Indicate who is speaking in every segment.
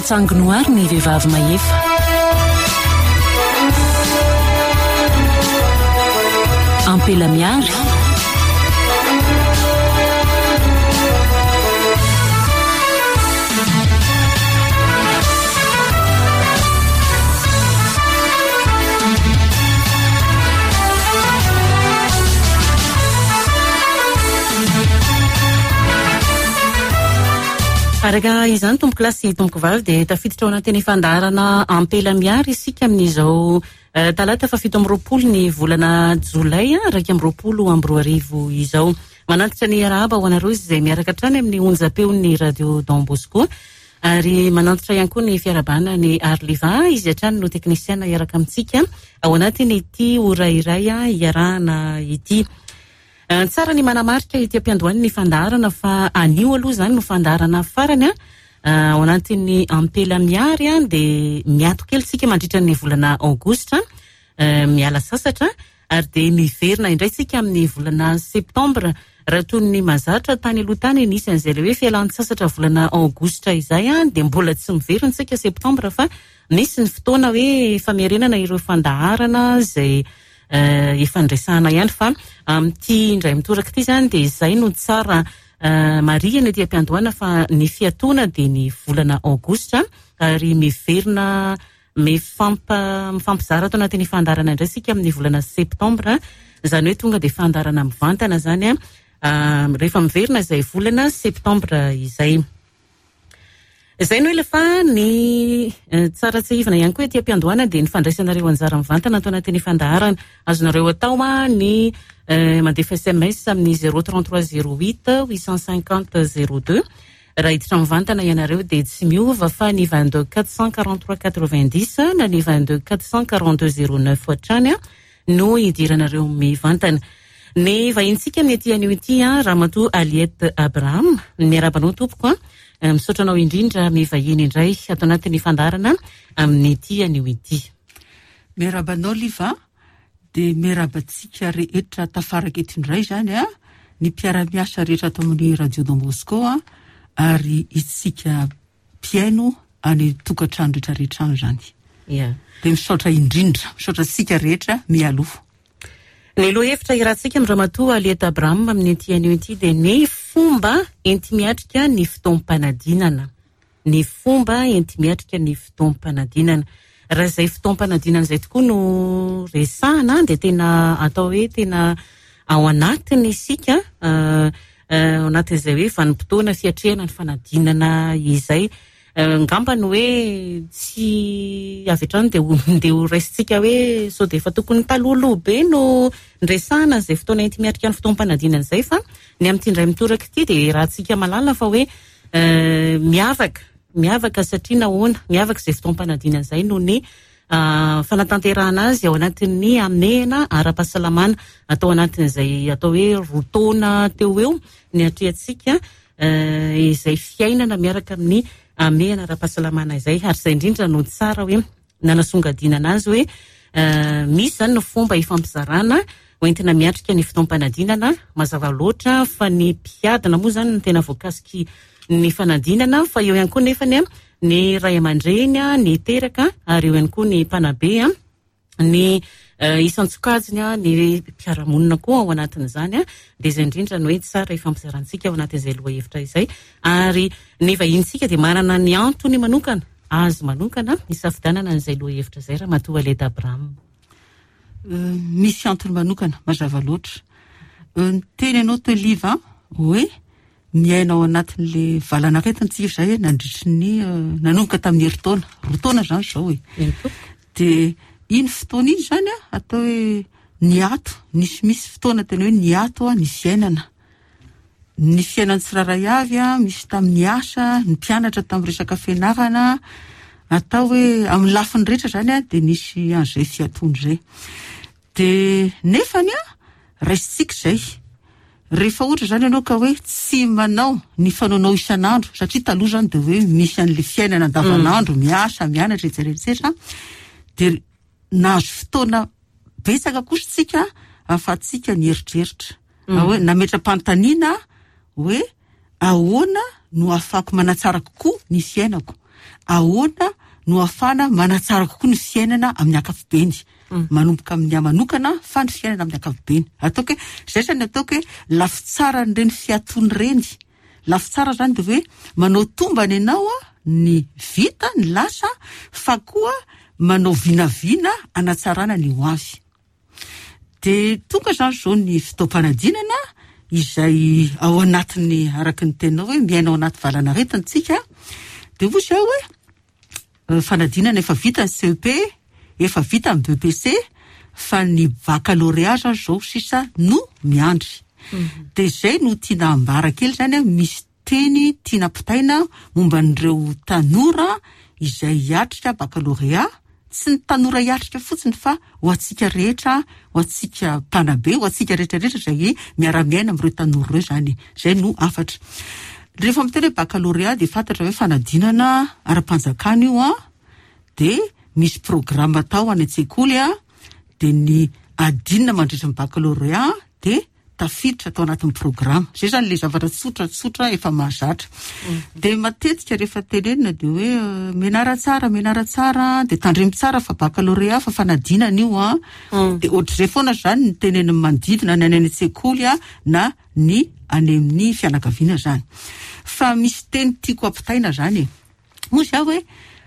Speaker 1: Mahatsangy noary ny vehivavy mahefa. Ampela miary. Araka izany tompokolahy sy tompokovavy dia tafiditra ao anatin'ny fandaharana Ampela Miary isika amin'izao eh, talata fa 27 ny volana jolay 2021 izao. Manantitra ny arahaba ho anareo izay miaraka hatrany amin'ny onjam-peon'ny Radio Don Bosco ary manantitra ihany koa ny fiarahabana ny Arliva, izy hatrany no teknisiana hiaraka amintsika ao anatin'ity ora iray iarahana ity. Eh, tsara ny manamarika ety am-piandohan'ny fandaharana fa anio aloha izany no fandaharana farany a eh, ao anatin'ny Ampela Miary a dia miato kely tsika mandritra ny volana aogositra eh, miala sasatra ary dia miverina indray tsika amin'ny volana septambra. Raha toy ny mazatra tany aloha tany nisy an'izay ilay hoe fialan-tsasatra volana aogositra izay a dia mbola tsy miverina tsika septambra fa misy ny fotoana hoe famerenana ireo fandaharana izay efa niresahana ihany fa amin'ity indray mitoraka ity izany dia izay no tsara marihina ety am-piandohana fa ny fiatoana dia ny volana aogositra ary miverina mifampa mifampizara ato anatin'ny fandaharana indray isika amin'ny volana septambra, izany hoe tonga dia fandaharana mivantana izany rehefa miverina izay volana septambra izay. Izay no ela fa ny tsara tsiahivina ihany koa ety am-piandohana dia ny fandraisanareo anjara mivantana ato anatin'ny fandaharana. Azonareo atao ny mandefa sms amin'ny 033 08 850 02. Raha hiditra mivantana ianareo dia tsy miova fa ny 22 443 90 na ny 22 442 09 hatrany no hidiranareo mivantana. Ny vahintsika amin'ity anio ity, Ramatoa Aliette Abraham. Miarahaba anao tompoko a. Misaotra anao indrindra mivahiny indray ato anatin'ny fandaharana amin'ity anio ity.
Speaker 2: Miarahaba anao Liva, dia miarahaba antsika rehetra tafaraka eto indray izany a, ny mpiara-miasa rehetra ato amin'ny Radio Don Bosco a, ary isika mpihaino any tokantrano rehetra rehetra any izany.
Speaker 1: Ia.
Speaker 2: Dia misaotra indrindra, misaotra antsika rehetra mialoha.
Speaker 1: Ny lohahevitra iarahantsika amin'i Ramatoa Aliette Abraham amin'ity anio ity dia ny fomba enti-miatrika ny fotoam-panadinana. Ny fomba enti-miatrika ny fotoam-panadinana. Raha izay fotoam-panadinana izay tokoa no resahana dia tena atao hoe tena ao anatiny isika ao anatin'izay hoe vanim-potoana fiatrehana ny fanadinana izay. Angamba ny hoe tsy avy hatrany dia ho dia ho raisintsika hoe sao dia efa tokony talohaloha be no niresahana an'izay fotoana enti-miatrika ny fotoam-panadinana izay fa ny amin'ity indray mitoraka ity dia rahantsika mahalala fa hoe miavaka, miavaka satria nahoana? Miavaka izay fotoam-panadinana izay noho ny fanatanterahana azy ao anatin'ny hamehana ara-pahasalamana atao anatin'izay atao hoe roa taona teo ho eo ny atrehantsika izay fiainana miaraka amin'ny hamehana ara-pahasalamana izay ary izay indrindra no tsara hoe nanasongadinana azy hoe misy izany ny fomba ifampizarana hoentina miatrika ny fotoam-panadinana. Mazava loatra fa ny mpiadina moa izany no tena voakasiky ny fanadinana fa eo ihany koa nefany ny ray aman-dreny, ny teraka ary eo ihany koa ny mpanabe, ny isan-tsokajiny, ny mpiara-monina koa ao anatin'izany. Dia izay indrindra no hoe tsara ifampizarantsika ao anatin'izay lohahevitra izay. Ary ny vahinintsika dia manana ny antony manokana, azy manokana, hisafidianana an'izay lohahevitra izay Ramatoa Aleda Abraham.
Speaker 2: Misy antony manokana, mazava loatra. Niteny ianao teo Liva hoe miaina ao anatin'le valan'aretina tsika izay nandritry ny nanomboka tamin'ny herintaona, roa taona izany izao e. Dia iny fotoana iny izany atao hoe niato, nisy misy fotoana tena hoe niato ny fiainana. Ny fiainan'ny tsirairay avy, misy tamin'ny asa, ny mpianatra tamin'ny resaka fianarana, atao hoe amin'ny lafiny rehetra izany dia nisy an'izay fiatoana izay. Dia nefany raisintsika izay. Rehefa ohatra izany ianao ka hoe tsy manao ny fanaonao isan'andro, satria taloha izany dia hoe misy an'ilay fiainana andavanandro, miasa, mianatra, et cetera, et cetera, dia nahazo fotoana betsaka kosa isika ahafahantsika nieritreritra. Hoe nametra-panontaniana hoe ahoana no ahafahako manatsara kokoa ny fiainako. Ahoana no ahafahana manatsara kokoa ny fiainana amin'ny ankapobeny? Manomboka amin'ny ahy manokana fa ny fiainana amin'ny ankapobeny. Ataoko hoe, izay izany ataoko hoe lafy tsaran'ireny fiatoana ireny. Lafy tsara izany dia hoe manao tombana ianao ny vita, ny lasa, fa koa manao vinavina hanatsarana ny ho avy. Dia tonga izany izao ny fotoam-panadinana izay ao anatin'ny, araka ny teninao hoe miaina ao anaty valan'aretina isika. Dia hoy izaho hoe fanadinana efa vita ny CEP, efa vita ny BEPC, fa ny baccalauréat izany izao sisa no miandry. Dia izay no tiana ambara kely izany, misy Teny tiana ampitaina momba an'ireo tanora izay hiatrika bakalorea, tsy ny tanora hiatrika fotsiny fa ho antsika rehetra, ho antsika mpanabe, ho antsika rehetra rehetra izay miara-miaina amin'ireo tanora ireo izany e. Izay no hafatra. Rehefa miteny hoe bakalorea dia fantatra hoe fanadinana ara-panjakana io an, dia misy programa atao any an-tsekoly an, dia ny adinina mandritra ny bakalorea dia tafiditra tao anatin'ny programa. Izay izany ilay zavatra tsotra tsotra efa mahazatra. Dia matetika rehefa tenenina dia hoe euh, mianara tsara, mianara tsara, dia tandremo tsara fa baccalauréat fa fanadinana io an. Dia ohatr'izay foana izany ny tenenin'ny manodidina na ny any an-tsekoly na ny any amin'ny fianakaviana izany. Fa misy teny tiako ampitaina izany e. Moa izaho hoe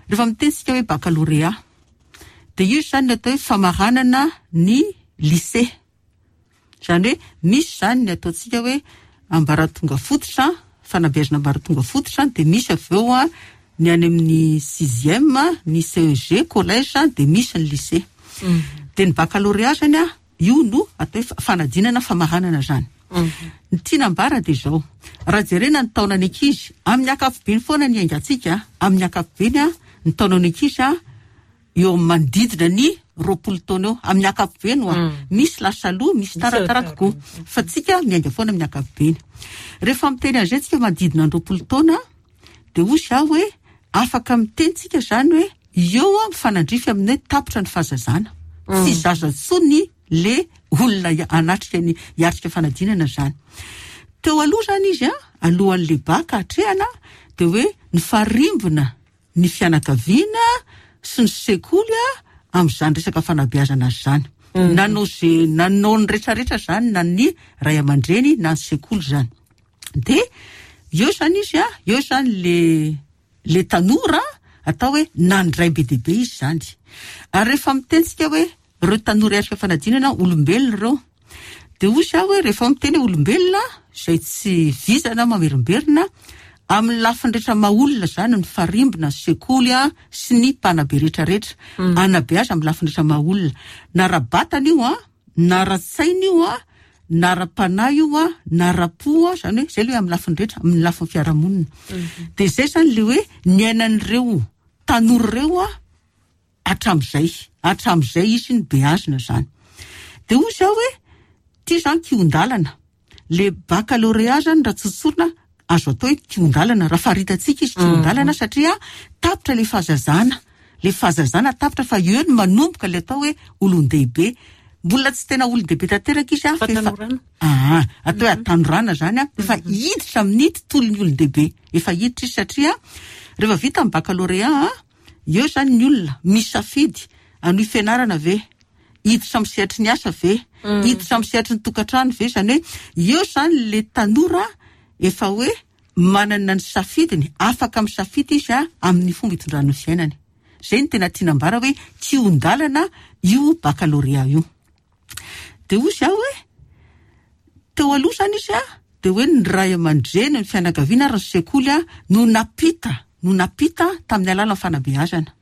Speaker 2: rehefa miteny isika hoe baccalauréat dia io izany ny atao hoe famaranana ny lycée. Izany hoe misy izany ny ataontsika hoe ambaratonga fototra, fanabeazana ambaratonga fototra, dia misy avy eo ny any amin'ny sixième, ny CEG, collège, dia misy ny lycée. Dia ny baccalauréat izany io no atao hoe fanadinana famaranana izany. Ny tiana ambara dia izao, raha jerena ny taonan'ny ankizy, amin'ny ankapobeny foana ny iaingantsika, amin'ny ankapobeny ny taonan'ny ankizy eo amin'ny manodidina ny 20 taona eo, amin'ny ankapobeny hoa. Misy lasa aloha, misy taratara kokoa. Fa tsika miainga foana amin'ny ankapobeny. Rehefa miteny an'izay tsika manodidina ny 20 taona, dia hoy izaho hoe afaka miteny tsika izany hoe eo mifanandrify amin'ny hoe tapitra ny fahazazana. Tsy zaza intsony le olona hanatrika ny hiatrika fanadinana izany. Teo aloha izany izy, alohan'le bac hatrehana, dia hoe nifarimbona ny fianakaviana sy ny sekoly amin'izany resaka fanabeazana izany. Nanao ze nanao ny retraretra izany na ny ray aman-dreny na ny sekoly izany. Dia eo izany izy a, eo izany le le tanora atao hoe nandray be dia be izy izany. Ary rehefa miteny tsika hoe Ireo tanora hiatrika fanadinana, olombelona ireo. Dia hoy izaho hoe rehefa miteny hoe olombelona, izay tsy vizana mamerimberina, amin'ny lafiny rehetra maha olona izany, ny farimbona, ny sekoly sy ny mpanabe rehetrarehetra. Hanabe azy amin'ny lafiny rehetra maha olona. Na ara-batana io, na ara-tsaina io, na ara-panahy io, na ara-po, izany hoe izay ilay hoe amin'ny lafiny rehetra, amin'ny lafiny fiarahamonina. Dia izay izany ilay hoe niainan'ireo tanora ireo Hatramin'izay, hatramin'izay izy nobeazina izany. Dia hoy izaho hoe, ity izany kihon-dalana. Le baccalauréat izany raha tsotsorina, azo atao hoe kihon-dalana, raha faritantsika izy kihon-dalana satria tapitra ilay fahazazana. Ilay fahazazana tapitra fa eo no manomboka ilay atao hoe olon-dehibe. Mbola tsy tena olon-dehibe tanteraka izy fa efa aa, atao hoe hatanorana izany an, efa hiditra amin'ny tontolon'ny olon-dehibe. Efa hiditra izy satria rehefa vita ny baccalauréat Eo izany ny olona misafidy hanohy fianarana ve, hiditra amin'ny sehatry ny asa ve, hiditra amin'ny sehatry ny tokantrano ve, izany hoe eo izany le tanora efa hoe manana ny safidiny, afaka misafidy izy amin'ny fomba hitondrany ny fiainany. Izay no tena tiana ambara hoe kihon-dalana io baccalauréat io. Dia hoy izaho hoe, teo aloha izany izy dia hoe ny ray aman-dreny, ny fianakaviana ary ny sekoly no nampita, no nampita tamin'ny alalan'ny fanabeazana.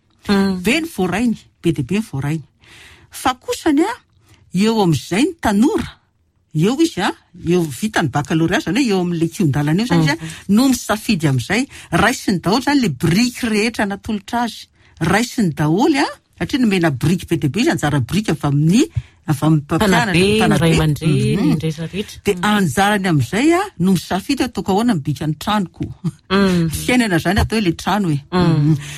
Speaker 2: Be ny voarainy, be dia be ny voarainy. Fa kosany eo amin'izay ny tanora, eo izy eo vita ny baccalauréat, izany hoe eo amin'ilay kihon-dalana eo izany izy no misafidy amin'izay. Raisiny daholo izany ilay biriky rehetra natolotra azy. Raisiny daholo satria nomena biriky be dia be izy, anjara biriky avy amin'ny avy amin'ny mpampianatra,
Speaker 1: Mpanabe, ny ray aman-dreny, ny rehetra rehetra.
Speaker 2: Dia anjarany amin'izay no misafidy hoe ataoko ahoana ny bikan'ny tranoko. Fiainana izany atao hoe ilay trano e. Dia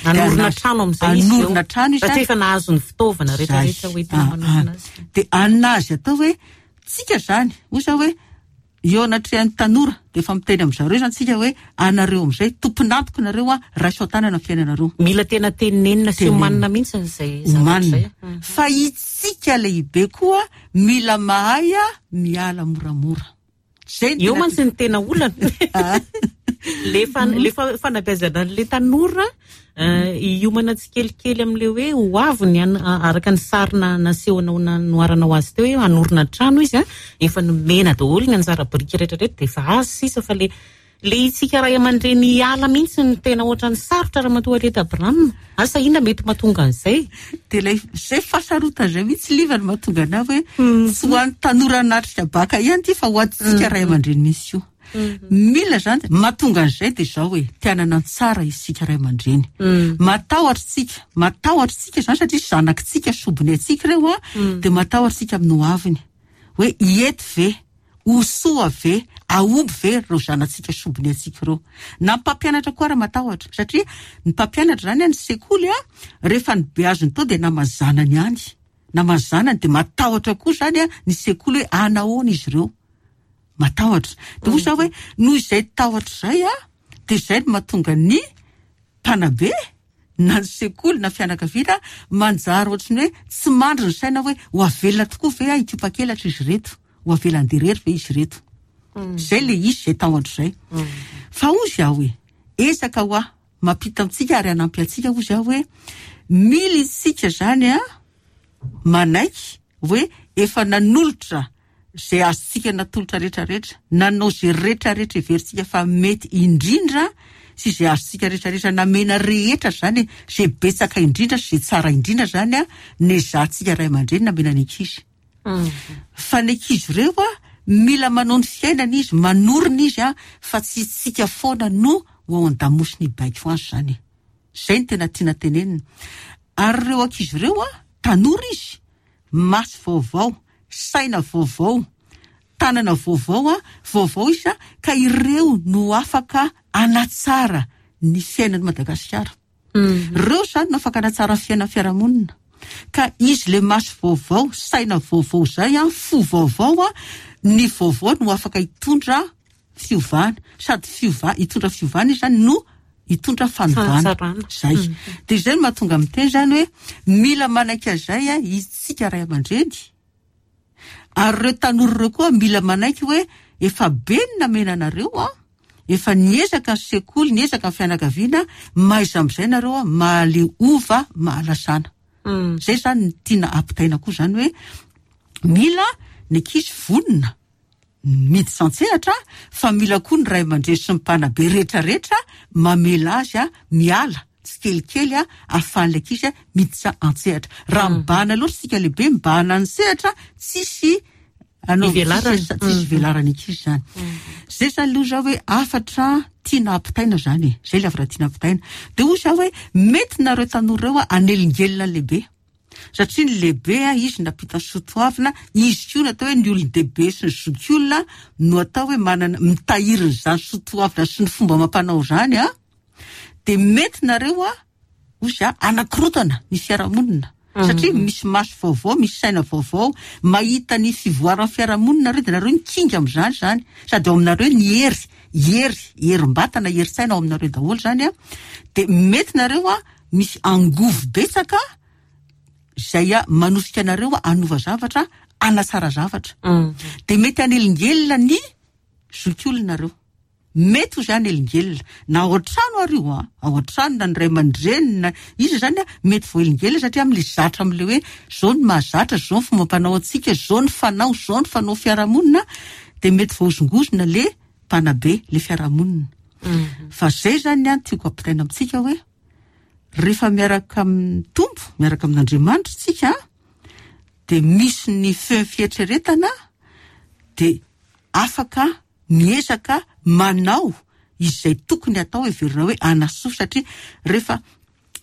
Speaker 1: Hanorina trano amin'izay izy eo.
Speaker 2: Hanorina trano izy.
Speaker 1: Satria efa nahazo ny fitaovana rehetra rehetra
Speaker 2: Zay.
Speaker 1: hoentina manorina azy.
Speaker 2: Dia anazy atao hoe tsika izany, hoy izaho hoe. Eo anatrehan'ny tanora dia efa miteny amin-dry zareo izany tsika hoe anareo amin'izay, tompon'antoka nareo an, raiso an-tanana ny fiainanareo.
Speaker 1: Mila tena tenenina sy omanina mihitsy izay zavatra izay.
Speaker 2: Omanina. Fa itsika lehibe koa mila mahay miala moramora.
Speaker 1: Zay Eo mantsy ny tena olana. Le fan, le fanabeazana an'le tanora hiomana tsikelikely amin'le hoe ho avy ny araka ny sary nasehonao nanoharanao azy teo hoe hanorina trano izy an, efa nomena daholo ny anjara biriky rehetra rehetra dia efa azo sisa fa le le itsika ray aman-dreny hiala mihitsy no tena ohatran'ny sarotra Ramatoa Arietta Abraham. Asa inona mety mahatonga an'izay?
Speaker 2: Dia ilay izay fahasarotana izay mihitsy Liva no mahatonga anah hoe tsy ho an'ny tanora hanatrika baka ihany ity fa ho antsika ray aman-dreny mihitsy koa. Mila izany, mahatonga an'izay dia izao e, te hanana ny tsara isika ray aman-dreny. Matahotra isika, matahotra isika izany satria zanakitsika, sombiny antsika ireo an, dia matahotra isika amin'ny ho aviny. Hoe hety ve? Ho soa ve, hahomby ve ireo zanatsika sombiny antsika ireo? Na ny mpampianatra koa ara matahotra satria ny mpampianatra izany any sekoly an, rehefa nobeaziny tao dia naman'ny zanany ihany. Naman'ny zanany dia matahotra koa izany ny sekoly hoe hanahoana izy ireo. Matahotra. Dia hoy za hoe noho izay tahotra izay an, dia izay no mahatonga ny mpanabe na ny sekoly na fianakaviana manjary ohatry ny hoe tsy mandry ny saina hoe ho avelona tokoa ve aho hikopakelatra izy ireto, ho avela handeha irery ve izy ireto. Izay ilay izy, izay tahotra izay. Fa hozy aho hoe, ezaka ho ahy, mampita amintsika ary hanampy antsika hozy aho hoe, mila isika izany an, manaiky hoe efa nanolotra izay azontsika natolotra rehetra rehetra, nanao izay rehetra rehetra heverintsika fa mety indrindra sy izay azontsika rehetra rehetra namena rehetra izany e, izay betsaka indrindra sy izay tsara indrindra izany an, nezahantsika ray aman-dreny namena ny ankizy. Fa ny ankizy ireo an, mila manao ny fiainany izy, manorina izy an, fa tsy isika foana no ho ao an-damosiny hibaiko azy izany e. Izay no tena tiana tenenina. Ary ireo ankizy ireo an, tanora izy, maso vaovao, saina vaovao, tanana vaovao an, vaovao izy an, ka ireo no afaka hanatsara ny fiainan'i Madagasikara. Ireo izany no afaka hanatsara ny fiainan'ny fiarahamonina. Ka izy le maso vaovao, saina vaovao izay an, fo vaovao an, ny vaovao no afaka hitondra fiovana. Sady fiova, hitondra fiovana izy izany no hitondra fanovana. Izay. Dia izay no mahatonga miteny izany hoe mila manaiky an'izay isika ray aman-dreny. Ary ireo tanora ireo koa mila manaiky hoe efa be ny namena anareo an, efa niezaka ny sekoly, niezaka ny fianakaviana, mahaiza amin'izay nareo an, mahaleova mahalasana. Izay izany no tiana ampitaina koa izany hoe mila ny ankizy vonona miditra an-tsehatra fa mila koa ny ray aman-dreny sy ny mpanabe rehetrarehetra mamela azy miala tsikelikely ahafahan'ilay ankizy miditra an-tsehatra. Raha mibahana loatra isika lehibe mibahana ny sehatra, tsisy
Speaker 1: Ivelarany.
Speaker 2: Tsisy ivelarany ankizy izany. Izay izany aloha izao hoe hafatra tiana ampitaina izany e. Izay ilay hafatra tiana ampitaina. Dia hoy izaho hoe mety nareo tanora ireo hanelingelina ny lehibe. Satria ny lehibe izy nampita ny soatoavina, izy koa natao hoe ny olon-dehibe sy ny zokiolona no atao hoe manana mitahiry an'izany soatoavina sy ny fomba amam-panao izany an, dia mety nareo an, hoy za, hanakorotana ny fiarahamonina. Satria misy maso vaovao, misy saina vaovao, mahita ny fivoaran'ny fiarahamonina nareo dia nareo mikinga amin'izany izany. Sady ao aminareo ny hery, hery, herim-batana, herin-tsaina ao aminareo daholo izany an, dia mety nareo an, Misy angovo betsaka izay manosika anareo hanova zavatra, hanatsara zavatra. Dia mety hanelingelina ny zokiolonareo. Mety ho izay hanelingelina. Na ao an-trano ary io an, ao an-trano na ny ray aman-dreny na iza izany an, mety voahelingelina satria amin'ilay zatra amin'ilay hoe izao ny mahazatra, izao ny fombam-panao antsika, izao ny fanao, izao ny fanao fiarahamonina, dia mety voahozongozona ilay mpanabe, ilay fiarahamonina. Fa izay izany ny ahy no tiako ampitaina amintsika hoe Rehefa miaraka amin'ny Tompo, miaraka amin'Andriamanitra isika dia misy ny feo fieritreretana dia afaka miezaka manao izay tokony hatao heverina hoe hanasoa satria rehefa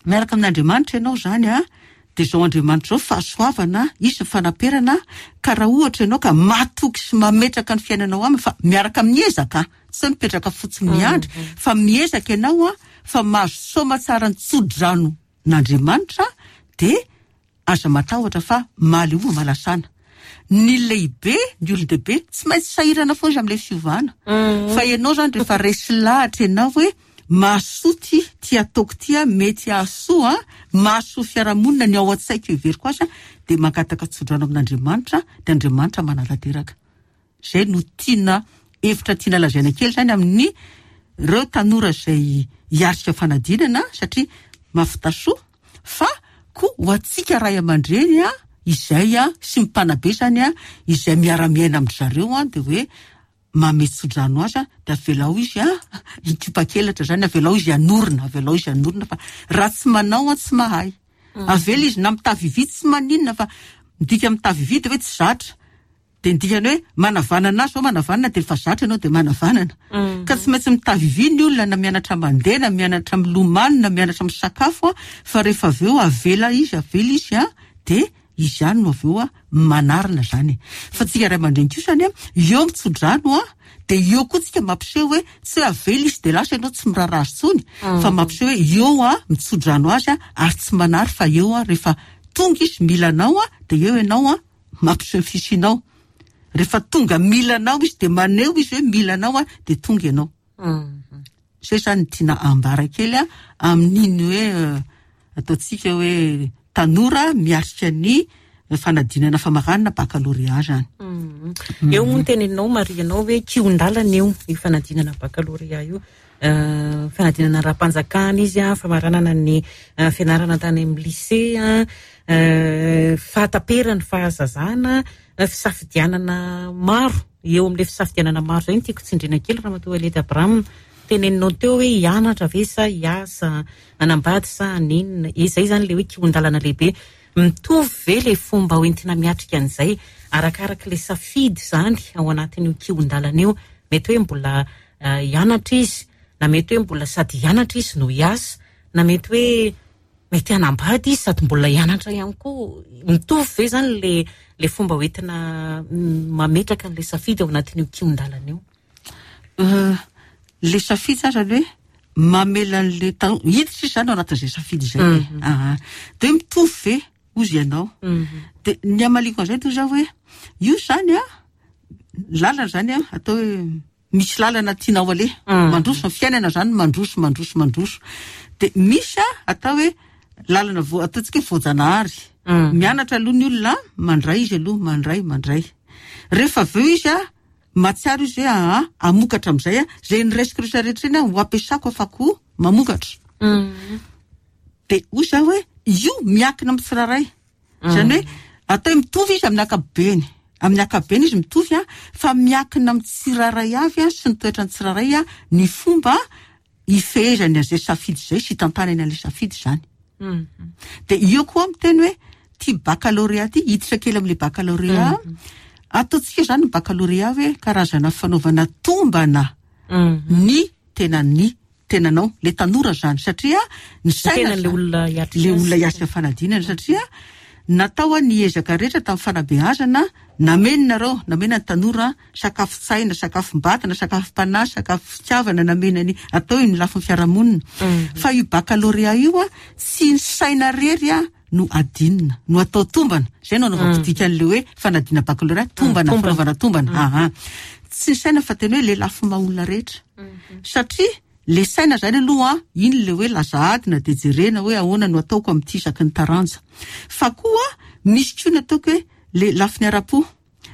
Speaker 2: miaraka amin'Andriamanitra ianao izany a dia izao Andriamanitra izao fahasoavana, izy ny fanaperana ka raha ohatra ianao ka matoky sy mametraka ny fiainanao aminy fa miaraka amin'ny ezaka, tsy hoe mipetraka fotsiny miandry fa miezaka ianao a fa mahazo soamatsara ny tso-drano n'Andriamanitra dia aza matahotra fa mahaleova malasana. Ny lehibe, ny olon-dehibe, tsy maintsy sahirana foana izy amin'ilay fiovana. Fa ianao izany rehefa resy lahatra ianao hoe mahasoa ity, ity ataoko ity an, mety hahasoa an, mahasoa fiarahamonina ny ao an-tsaiko heveriko azy an, dia mangataka tsodrano amin'Andriamanitra, dia Andriamanitra manatanteraka. Izay no tiana, hevitra tiana lazaina kely izany amin'ny ireo tanora izay hiatrika fanadinana satria mahavita soa fa koa ho antsika ray aman-dreny an, izay an, sy ny mpanabe izany an, izay miara-miaina amin-dry zareo an, dia hoe manome tsodrano azy an, dia avelao izy an, hikopa-kelatra izany, avelao izy hanorina, avelao izy hanorina fa raha tsy manao an, tsy mahay. Avela izy na mitavy vy tsy maninona fa midika mitavy vy dia hoe tsy zatra. Dia ny dikany hoe manavanana azy zao manavanana dia efa zatra ianao dia manavanana. Ka tsy maintsy mitavy vy ny olona na mianatra mandeha na mianatra milomano na mianatra misakafo an, fa rehefa avy eo avela izy avela izy an, dia izy ihany no avy eo an manarina izany e. Fa tsika ray aman-dreny kosa anie eo mitsodrano an, dia eo koa tsika mampiseho hoe tsy hoe avela izy dia lasa ianao tsy miraharaha azy intsony fa mampiseho hoe eo an mitsodrano azy an ary tsy manary fa eo an rehefa tonga izy mila anao an dia eo ianao an mampiseho ny fisianao. Rehefa tonga mila anao izy dia maneho izy hoe mila anao an, dia tonga ianao. Izay izany no tiana ambara kely an, amin'iny hoe ataontsika hoe tanora miatrika ny fanadinana famaranana baccalauréat izany.
Speaker 1: Eo moa ny teneninao marihanao hoe kihon-dalana io, io fanadinana baccalauréat io. Fanadinana ara-panjakana izy, famaranana ny fianarana tany amin'ny lycée, fahataperan'ny fahazazana, fisafidianana maro. Eo amin'ilay fisafidianana maro izay no tiako tsindriana kely Ramatoa Elliot Abraham. Teneninao teo hoe hianatra ve sa hiasa, hanambady sa haninona. Izay izany ilay hoe kihon-dalana lehibe. Mitovy ve ilay fomba hoentina miatrika an'izay arakarak'ilay ilay safidy izany ao anatin'io kihon-dalana io? Mety hoe mbola hianatra izy, na mety hoe mbola sady hianatra izy no hiasa, na mety hoe mety hanambady izy sady mbola hianatra ihany koa. Mitovy ve izany ilay ilay fomba hoentina mametraka an'ilay safidy ao anatin'io kihon-dalana io?
Speaker 2: Ilay safidy izany izany hoe mamela an'ilay tanora hiditra izy izany ao anatin'izay safidy izay e. Aha. Dia hoe mitovy ve hozy ianao? Dia ny hamaliako an'izay toy izao hoe io izany an, lalana izany an, atao hoe misy lalana tianao aleha, mandroso ny fiainana izany, mandroso, mandroso, mandroso. Dia misy an, atao hoe lalana vo- ataontsika hoe voajanahary. Mianatra aloha ny olona, mandray izy aloha, mandray, mandray. Rehefa avy eo izy an, mahatsiaro izy hoe aa, hamokatra amin'izay aho, izay noraisiko rehetra rehetra iny an, ho ampiasako afako mamokatra. Dia hoy izaho hoe, io miankina amin'ny tsirairay. Izany hoe atao hoe mitovy izy amin'ny ankapobeny. Amin'ny ankapobeny izy mitovy an, fa miankina amin'ny tsirairay avy an, sy ny toetran'ny tsirairay an, ny fomba hifehezany an'izay safidy izay sy hitantanany an'ilay safidy izany. Dia eo koa aho miteny hoe ity baccalauréat ity, hiditra kely amin'ilay baccalauréat, ataontsika izany ny baccalauréat hoe karazana fanaovana tombana ny tenan'ny tenanao, le tanora zany, satria ny saina
Speaker 1: le olona hiatrika
Speaker 2: le olona hiatrika fanadinana, satria natao ny ezaka rehetra tamin'ny fanabeazana, nameno nareo, namena ny tanora sakafon-tsaina, sakafom-batana, sakafom-panahy, sakafo fitiavana, namena ny atao eo ny lafiny fiarahamonina. Fa io baccalauréat io a, tsy ny saina rery a no adinina, no atao tombana. Izay no anaovako dikan'ilay hoe fanadinana baccalauréat, tombana, fanaovana tombana. Aha. Tsy ny saina fa tena hoe le lafiny maha olona rehetra. Satria le saina zany aloha an, iny le hoe laza adina dia jerena hoe ahoana no ataoko amin'ity isaky ny taranja. Fa koa misy koa ny ataoko hoe le lafiny ara-po.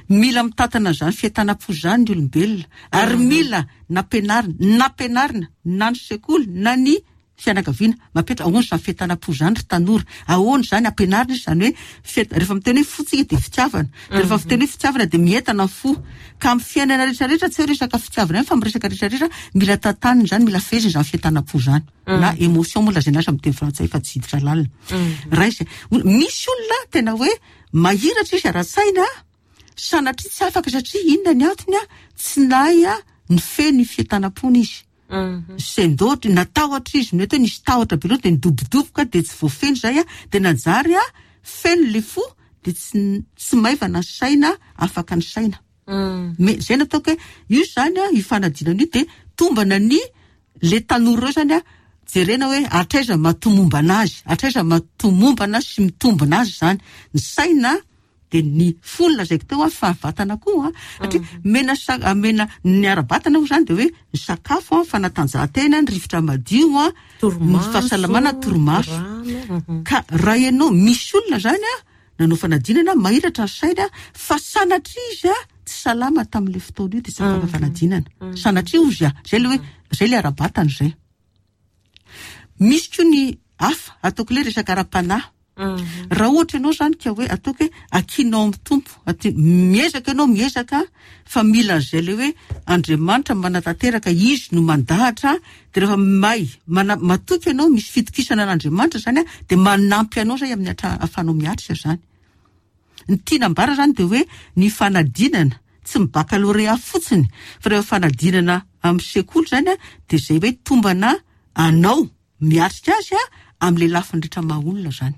Speaker 2: Mila mitantana an'izany fientanam-po izany ny olombelona ary mila nampianarina, nampianarina na ny sekoly na ny fianakaviana. Mapetra ahoana izany fientanam-po izany ry tanora? Ahoana izany ampianarina izy izany hoe fienta-, rehefa miteny hoe fo tsika dia fitiavana. Dia rehefa miteny hoe fitiavana dia mientana ny fo. Ka amin'ny fiainana rehetra rehetra tsy hoe resaka fitiavana ihany fa amin'ny resaka rehetra rehetra mila tantanina izany, mila fehezina izany fientanam-po izany. Na émotion moa lazaina azy amin'ny teny frantsay fa tsy hiditra lalina. Raha izay, misy olona tena hoe mahiratra izy ara-tsaina, sanatria tsy afaka satria inona ny antony a? Tsy nahay nifehy ny fientanam-pony izy. Sendoatra, natahotra izy, mety hoe nisy tahotra be loatra dia nidobodoboka dia tsy voafehy izay a, dia nanjary a feno ilay fo dia tsy tsy maivana ny saina, afaka ny saina. Me- zay no ataoko hoe io izany a, io fanadinana io dia tombana ny le tanora ireo izany a, jerena hoe hatraiza mahatomombana azy, hatraiza mahatomombana sy mitombina azy izany. Ny saina. Dia ny fo no lazaiko teo an, fa vatana koa an, satria mena sa- mena ny ara-batana moa izany dia hoe ny sakafo an, fanatanjahantena, ny rivotra madio an, ny
Speaker 1: Torimaso,
Speaker 2: fahasalamana, torimaso.
Speaker 1: rano, mhm.
Speaker 2: Ka raha ianao, misy olona izany an, nanao fanadinana, mahiratra ny sainy an, fa sanatria izy an, tsy salama tamin'ilay fotoana io dia tsy afaka fanadinana. Sanatria hozy an, izay ilay hoe, izay ilay ara-batana izay. Misy koa ny hafa, ataoko ilay resaka ara-panahy. Raha ohatra ianao izany ka hoe ataoko hoe akinao amin'ny Tompo, aty, miezaka ianao miezaka fa mila an'izay ilay hoe Andriamanitra manatanteraka, Izy no mandahatra, dia rehefa may, mana, matoky ianao, misy fitokisana an'Andriamanitra izany an, dia manampy anao izay amin'ny atra, ahafahanao miatrika izany. Ny tiana ambara izany dia hoe ny fanadinana, tsy ny baccalauréat fotsiny, fa rehefa fanadinana amin'ny sekoly izany an, dia izay hoe tombana anao miatrika azy an, amin'ilay lafiny rehetra maha olona izany.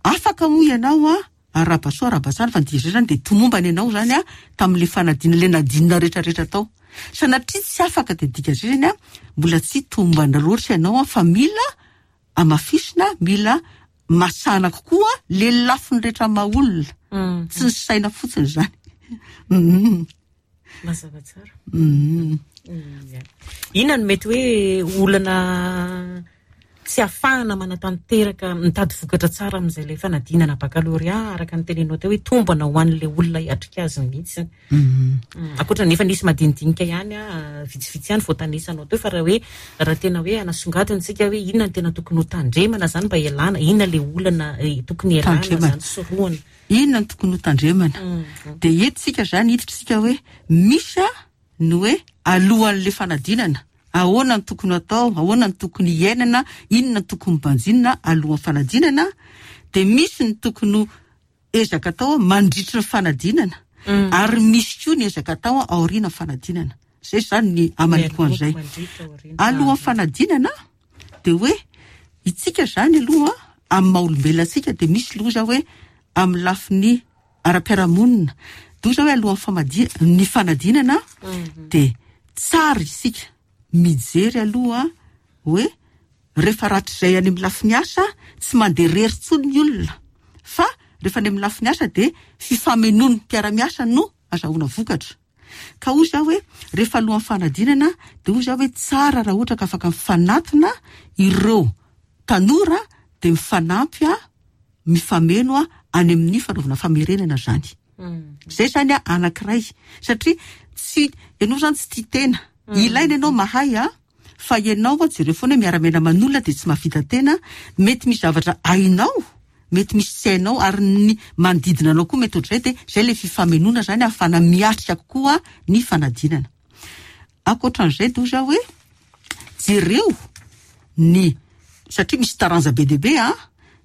Speaker 2: Afaka moa ianao an, arahaba soa arahaba tsara, fa ny dikan'izay izany dia tomombana ianao izany an, tamin'ilay fanadinana, ilay nadinina rehetra rehetra tao. Sanatria tsy afaka dia dikan'izay izany an, mbola tsy tomombana loatra ianao an, fa mila hamafisina, mila masahana kokoa le lafiny rehetra maha olona, tsy ny saina fotsiny izany.
Speaker 1: Mazava tsara. Inona no mety hoe olana tsy ahafahana manatanteraka, mitady vokatra tsara amin'izay ilay fanadinana bakalorea araka ny teneninao teo hoe tombana ho an'ilay olona hiatrika azy mihitsy. Ankoatra ny efa nisy madinidinika ihany, vitsivitsy ihany voatanisanao teo fa raha hoe raha tena hoe hanasongadina isika hoe inona no tena tokony ho tandremana izany mba hialana, inona ilay olana tokony hialana izany, sorohana.
Speaker 2: Inona no tokony ho tandremana? Dia eto isika izany hiditra isika hoe misy ny hoe alohan'ilay fanadinana, ahoana no tokony hatao, ahoana no tokony hiainana, inona no tokony banjinina alohan'ny fanadinana, dia misy ny tokony ho ezaka atao mandritry ny fanadinana, ary misy koa ny ezaka atao aorian'ny fanadinana. Izay izany ny hamaliko an'izay. Alohan'ny fanadinana dia hoe itsika izany aloha amin'ny maha olombelona antsika dia misy loza hoe amin'ny lafiny ara-piarahamonina. Dia hoe alohan'ny ny fanadinana dia tsara isika mijery aloha hoe rehefa rahatrizay any amin'ny lafiny asa tsy mandeha irery intsony ny olona fa rehefa any amin'ny lafiny asa dia fifamenoan'ny mpiara-miasa no azahoana vokatra. Ka hoy izaho hoe rehefa alohan'ny fanadinana dia hoy izaho hoe tsara raha ohatra ka afaka mifanatona ireo tanora dia mifanampy mifameno any amin'ny fanaovana famerenana izany. Izay izany anankiray satria tsy ianao izany tsy tia tena. Ilaina ianao mahay fa ianao jereo foana hoe miara-miaina aman'olona dia tsy mahavita tena, mety misy zavatra hainao, mety misy tsy hainao ary ny manodidina anao koa mety ohatr'izay dia izay ilay fifamenoana izany ahafahana miatrika kokoa ny fanadinana. Ankoatran'izay dia hoy izaho hoe jereo ny satria misy taranja be dia be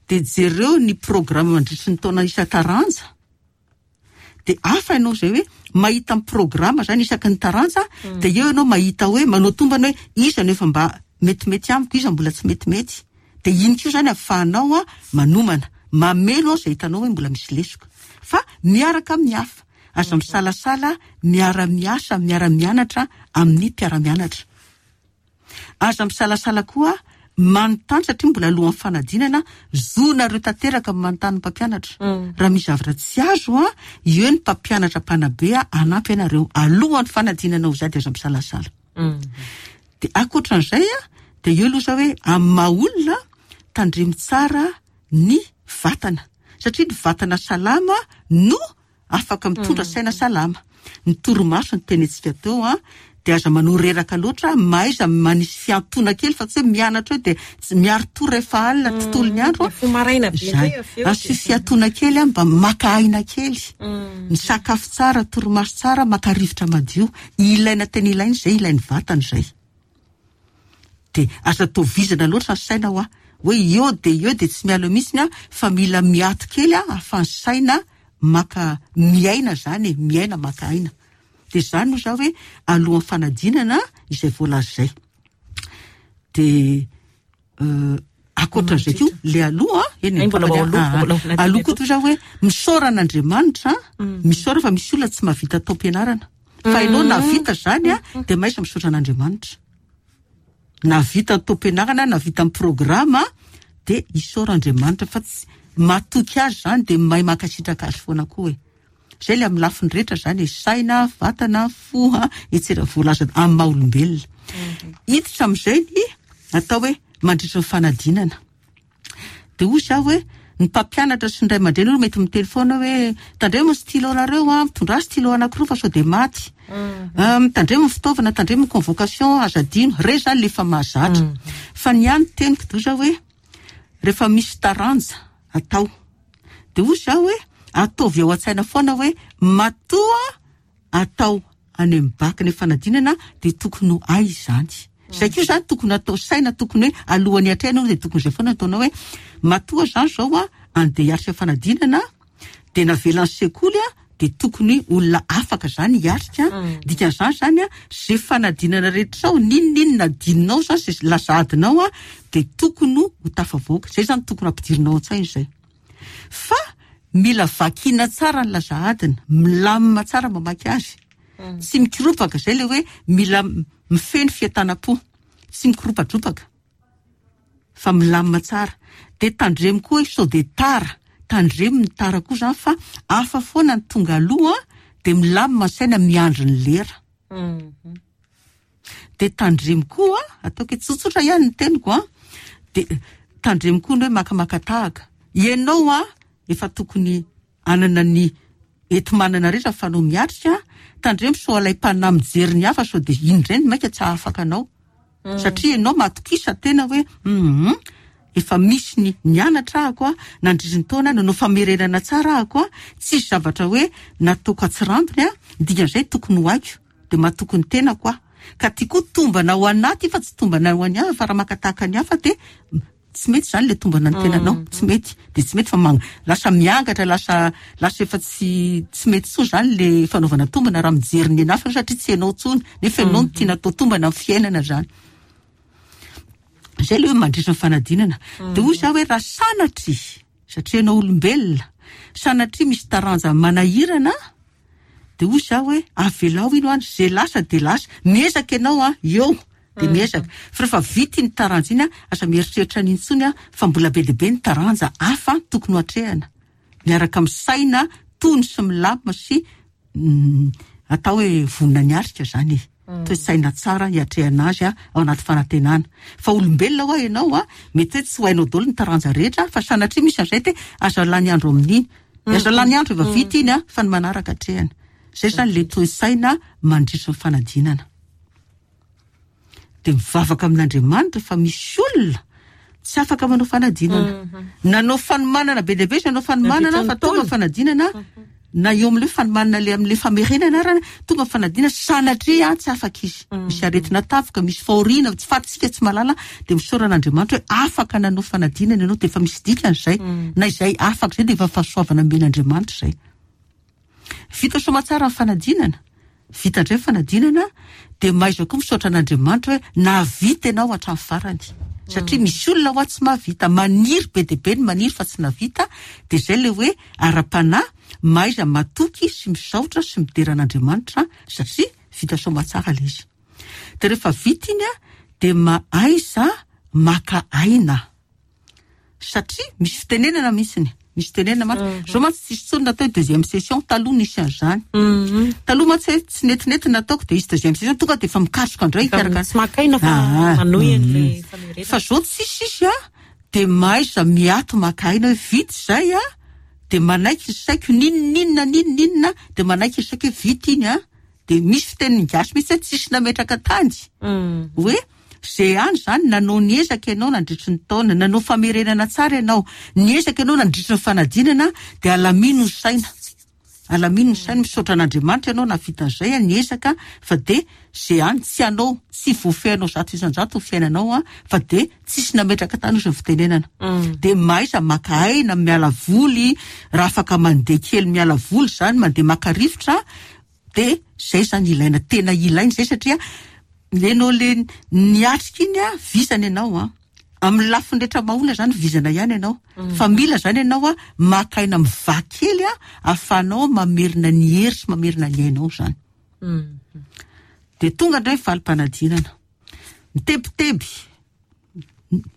Speaker 2: dia jereo ny programme mandritry ny taona isan-taranja. Dia hafa ianao izay hoe mahita ny programa izany isaky ny taranja, dia eo ianao mahita hoe manao tombana hoe iza no efa mba metimety amiko, iza mbola tsy metimety. Dia iny koa izany ahafahanao manomana, mameno izay hitanao hoe mbola misy lesoka. Fa miaraka amin'ny hafa, aza misalasala miara-miasa, miara-mianatra amin'ny mpiara-mianatra. Aza misalasala koa manontany satria mbola alohan'ny fanadinana, zonareo tanteraka ny manontany ny mpampianatra. Raha misy zavatra tsy azo, eo ny mpampianatra mpanabe hanampy anareo alohan'ny fanadinana ho zay dia aza misalasala. Dia ankoatran'izay dia eo aloha zao hoe amin'ny maha olona tandremo tsara ny vatana satria ny vatana salama no afaka mitondra saina salama. Ny torimaso no tenentsika teo an, dia aza manao reraka loatra, mahaiza manisy fiantoana kely fa tsy hoe mianatra eo dia tsy miari-tory rehefa alina tontolo ny andro an.
Speaker 1: Mifoha maraina be indray avy eo.
Speaker 2: Asio fiantoana kely an, mba maka aina kely. Misakafo tsara, torimaso tsara, maka rivotra madio. Ilaina tena ilaina izay, ilain'ny vatana izay. Dia aza atao vizana loatra ny saina hoa, hoe eo dia eo dia tsy miala eo mihitsiny aho fa mila miato kely aho ahafahan'ny saina maka miaina izany e, miaina maka aina. Dia izany hoy izaho hoe alohan'ny fanadinana izay voalaza izay. Dia ankoatran'izay koa le aloha eny
Speaker 1: Ay, mbola ao aloha, mbola ao anatin'ny
Speaker 2: aloha koa toy izao hoe misaora an'Andriamanitra, misaora fa misy olona tsy mahavita taom-pianarana. Fa ianao nahavita izany dia mahaiza misaotra an'Andriamanitra. Nahavita ny taom-pianarana, nahavita ny programa dia isaora Andriamanitra fa tsy matoky azy zany de mahay mankasitraka azy foana koa e. Zay le amin'ny lafiny rehetra zany e, saina, vatana, fo, etsera voalaza amin'ny maha olombelona. Hiditra amin'izay ny atao hoe mandritra ny fanadinana. De hoy zaho hoe ny mpampianatra sy ny ray aman-dreny aloha mety miteny foana hoe tandremo ny stylo nareo a, mitondrà stylo anankiroa fa sao de maty. Tandremo ny fitaovana, tandremo ny convocation, aza adino. Ireny zany le efa mahazatra. Fa ny ahy ny teniko de hoy zaho hoe rehefa misy taranja atao de hoy zaho hoe ataovy ao an-tsaina foana hoe matoa atao any amin'ny bac ny fanadinana de tokony ho hay izany. Zay koa zany tokony atao saina, tokony hoe alohan'ny hiatrehana aloha de tokony zay foana ataonao hoe matoa zany zao a andeha hiatrika fanadinana de navelan'ny sekoly a de tokony olona afaka zany hiatrika. Dikan'izany zany a zay fanadinana rehetra ao n'inon'inona adinonao zany, zay lasa adinao a de tokony ho tafavoaka. Zay zany tokony ampidirinao an-tsaina izay. Fa mila vakiana tsara ny laza adina, milamina tsara mamaky azy. Tsy mikoropaka, zay le hoe mila mifehy ny fientanam-po, tsy mikoropadropaka fa milamina tsara. De tandremo koa hoe sao de tara, tandremo ny tara koa zany fa hafa foana ny tonga aloha de milamina ny saina miandry ny lera. De tandremo koa, ataoko hoe tsotsotra ihany ny teniko a, de tandremo koa ny hoe makamaka tahaka. Ianao a efa tokony hanana ny enti-manana rehetra fa anao miatrika, tandremo sao alaim-panahy mijery ny hafa sao de iny indray no mainka tsy hahafaka anao. Satria ianao matokisa tena hoe efa misy ny nianatra ahako a, nandritry ny taona nanao famerenana tsara ahako a, tsisy zavatra hoe nataoko atsirambiny a, dikan'izay tokony ho haiko. De matoky ny tenako aho. Ka ty koa tombana ho anaty fa tsy tombana ho an'ny hafa, fa raha maka tahaka ny hafa de tsy mety zany le tombana ny tenanao, tsy mety. De tsy mety fa lasa miangatra, lasa, lasa efa tsy, tsy mety intsony zany le fanaovana tombana raha mijery ny hafa satria tsy hainao intsony, nefa ianao no tiana atao tombana amin'ny fiainana zany. Zay le hoe mandritra ny fanadinana. De hoy zaho hoe raha sanatria, satria ianao olombelona, sanatria misy taranja manahirana, de hoy zaho hoe avelao ino any, zay lasa de lasa, miezaka ianao a, eo de miezaka. Fa rehefa vita iny taranja iny a, aza mieritreritra an'iny intsony a, fa mbola be dia be ny taranja hafa tokony ho atrehana. Miaraka amin'ny saina tony sy milamina sy atao hoe vonona ny atrika zany e. Toe-tsaina tsara hiatrehana azy a, ao anaty fanantenana. Fa olombelona hoa ianao a, mety hoe tsy ho hainao daholo ny taranja rehetra, fa sanatria misy an'izay te aza lany andro amin'iny. Aza lany andro efa vita iny a, fa ny manaraka atrehana. Zay zany le toe-tsaina mandritry ny fanadinana. De mivavaka amin'Andriamanitra fa misy olona tsy afaka manao fanadinana. Nanao fanomanana be dia be izy, nanao fanomanana fa tonga fanadinana, na eo amin'ilay fanomanana le amin'ilay famerenana arany, tonga fanadinana sanatria tsy afaka izy. Misy aretina tafika, misy fahoriana, tsy fantatsika, tsy mahalala, de misaora an'Andriamanitra hoe afaka nanao fanadinana ianao, de efa misy dikany izay. Na izay afaka izay de efa fahasoavana omen'Andriamanitra izay. Vita soamantsara ny fanadinana, vita indray ny fanadinana, dia mahaiza koa misaotra an'Andriamanitra hoe nahavita ianao hatramin'ny farany. Satria misy olona hoa tsy mahavita, maniry be dia be ny maniry fa tsy nahavita, dia izay ilay hoe ara-panahy, mahaiza matoky sy misaotra sy midera an'Andriamanitra satria vita soamantsara ilay izy. Dia rehefa vita iny dia mahaiza maka aina. Satria misy fitenenana mihitsiny, misy fitenenana mantsy. Zao mantsy tsisy intsony natao hoe deuxième session, taloha nisy an'izany. Taloha mantsy hoe tsy netinety nataoko dia hisy deuxième session, tonga dia efa mikatroka indray
Speaker 1: Efa
Speaker 2: hikarakara.
Speaker 1: tsy maka aina fa manohy an'ilay famerenana.
Speaker 2: Fa zao tsisy izy a, dia mahaiza miato maka aina hoe vita izay a, dia manaiky ny saiko n'inon'inona n'inon'inona, dia manaiky ny saiko hoe vita iny a, dia misy fitenin'ny gasy mihitsy hoe tsisy nametraka tany. Hoe Zay any zany, nanao ny ezaka ianao nandritry ny taona, nanao famerenana tsara ianao, niezaka ianao nandritry ny fanadinana, dia alamino ny saina. Alamino ny saina, misaotra an'Andriamanitra ianao nahavita an'izay, niezaka, fa dia zay any, tsy anao, tsy voafehinao 100% ny fiainanao an, fa dia tsisy nametraka tany ozy ny fitenenana. Dia mahaiza maka aina, miala voly, raha afaka mandeha kely miala voly zany, mandeha maka rivotra, dia zay zany ilaina, tena ilaina zay satria ianao le niatrika iny a, vizana ianao a, amin'ny lafiny rehetra maha-olona zany vizana ihany ianao, fa mila zany ianao a maka aina mivaha kely a, ahafahanao mamerina ny hery sy mamerina ny ainao zany. Dia tonga indray ny valim-panadinana, mitebiteby.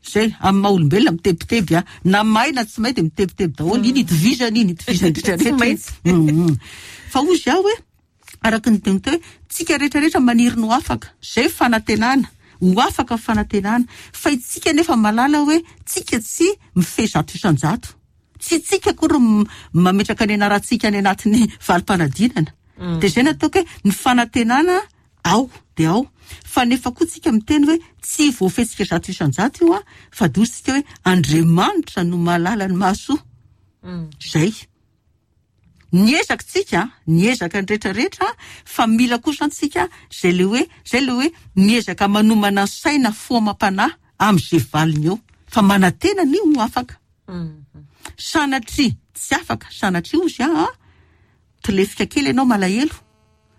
Speaker 2: Zay, amin'ny maha olombelona mitebiteby a. Na mahay na tsy mahay dia mitebiteby daholo. Iny itovizana iny, itovizana rehetra
Speaker 1: Tsy
Speaker 2: rehetra.
Speaker 1: maintsy.
Speaker 2: Fa hozy aho hoe, araka ny teny teo hoe, tsika rehetra rehetra maniry ny ho afaka. Zay fanantenana. Ho afaka ny fanantenana. Fa itsika nefa mahalala hoe, tsika tsy mifehy 100%. Tsy tsika akory mametraka ny anarantsika any anatin'ny valim-panadinana. Dia zay nataoko hoe, ny fanantenana ao dia ao. Fa nefa koa tsika miteny hoe tsy voafehitsika 100% io a, fa dositsika hoe Andriamanitra no mahalala ny mahasoa. Zay. Niezaka tsika, niezaka ny rehetrarehetra, fa mila kosa antsika zay le hoe, zay le hoe miezaka manomana ny saina fo amam-panahy amin'izay valiny eo. Fa manantena ny ho afaka. Sanatria tsy afaka, sanatria hozy aho, tolefika kely ianao malahelo.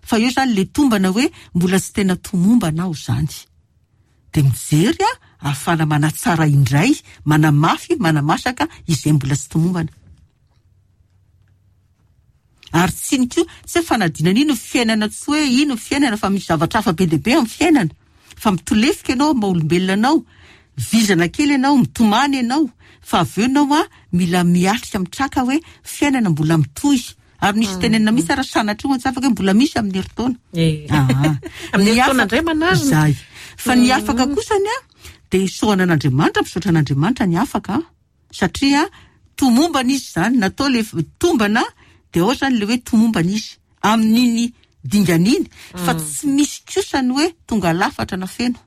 Speaker 2: Fa eo zany le tombana hoe mbola tsy tena tomombana aho zany. Dia mijery a, ahafahana manatsara indray, manamafy, manamasaka izay mbola tsy tomombana. Ary tsy ny koa, tsy hoe fanadinana ino ny fiainana, tsy hoe ino ny fiainana, fa misy zavatra hafa be dia be amin'ny fiainana. Fa mitolefika ianao amin'ny maha olombelona anao, vizana kely ianao, mitomany ianao, fa avy eo ianao a, mila miatrika mitraka hoe fiainana mbola mitohy. Ary misy tenenina mihitsy ary sanatria ho antsy afaka hoe mbola misy amin'ny herintaona.
Speaker 1: Amin'ny herintaona indray manarina.
Speaker 2: Zay. Fa ny afaka kosany a, dia isaorana an'Andriamanitra, misaotra an'Andriamanitra ny afaka, satria tomombana izy zany, natao le tombana, dia ao zany le hoe tomombana izy amin'iny dingana iny, fa tsy misy kosa ny hoe tonga lafatra na feno.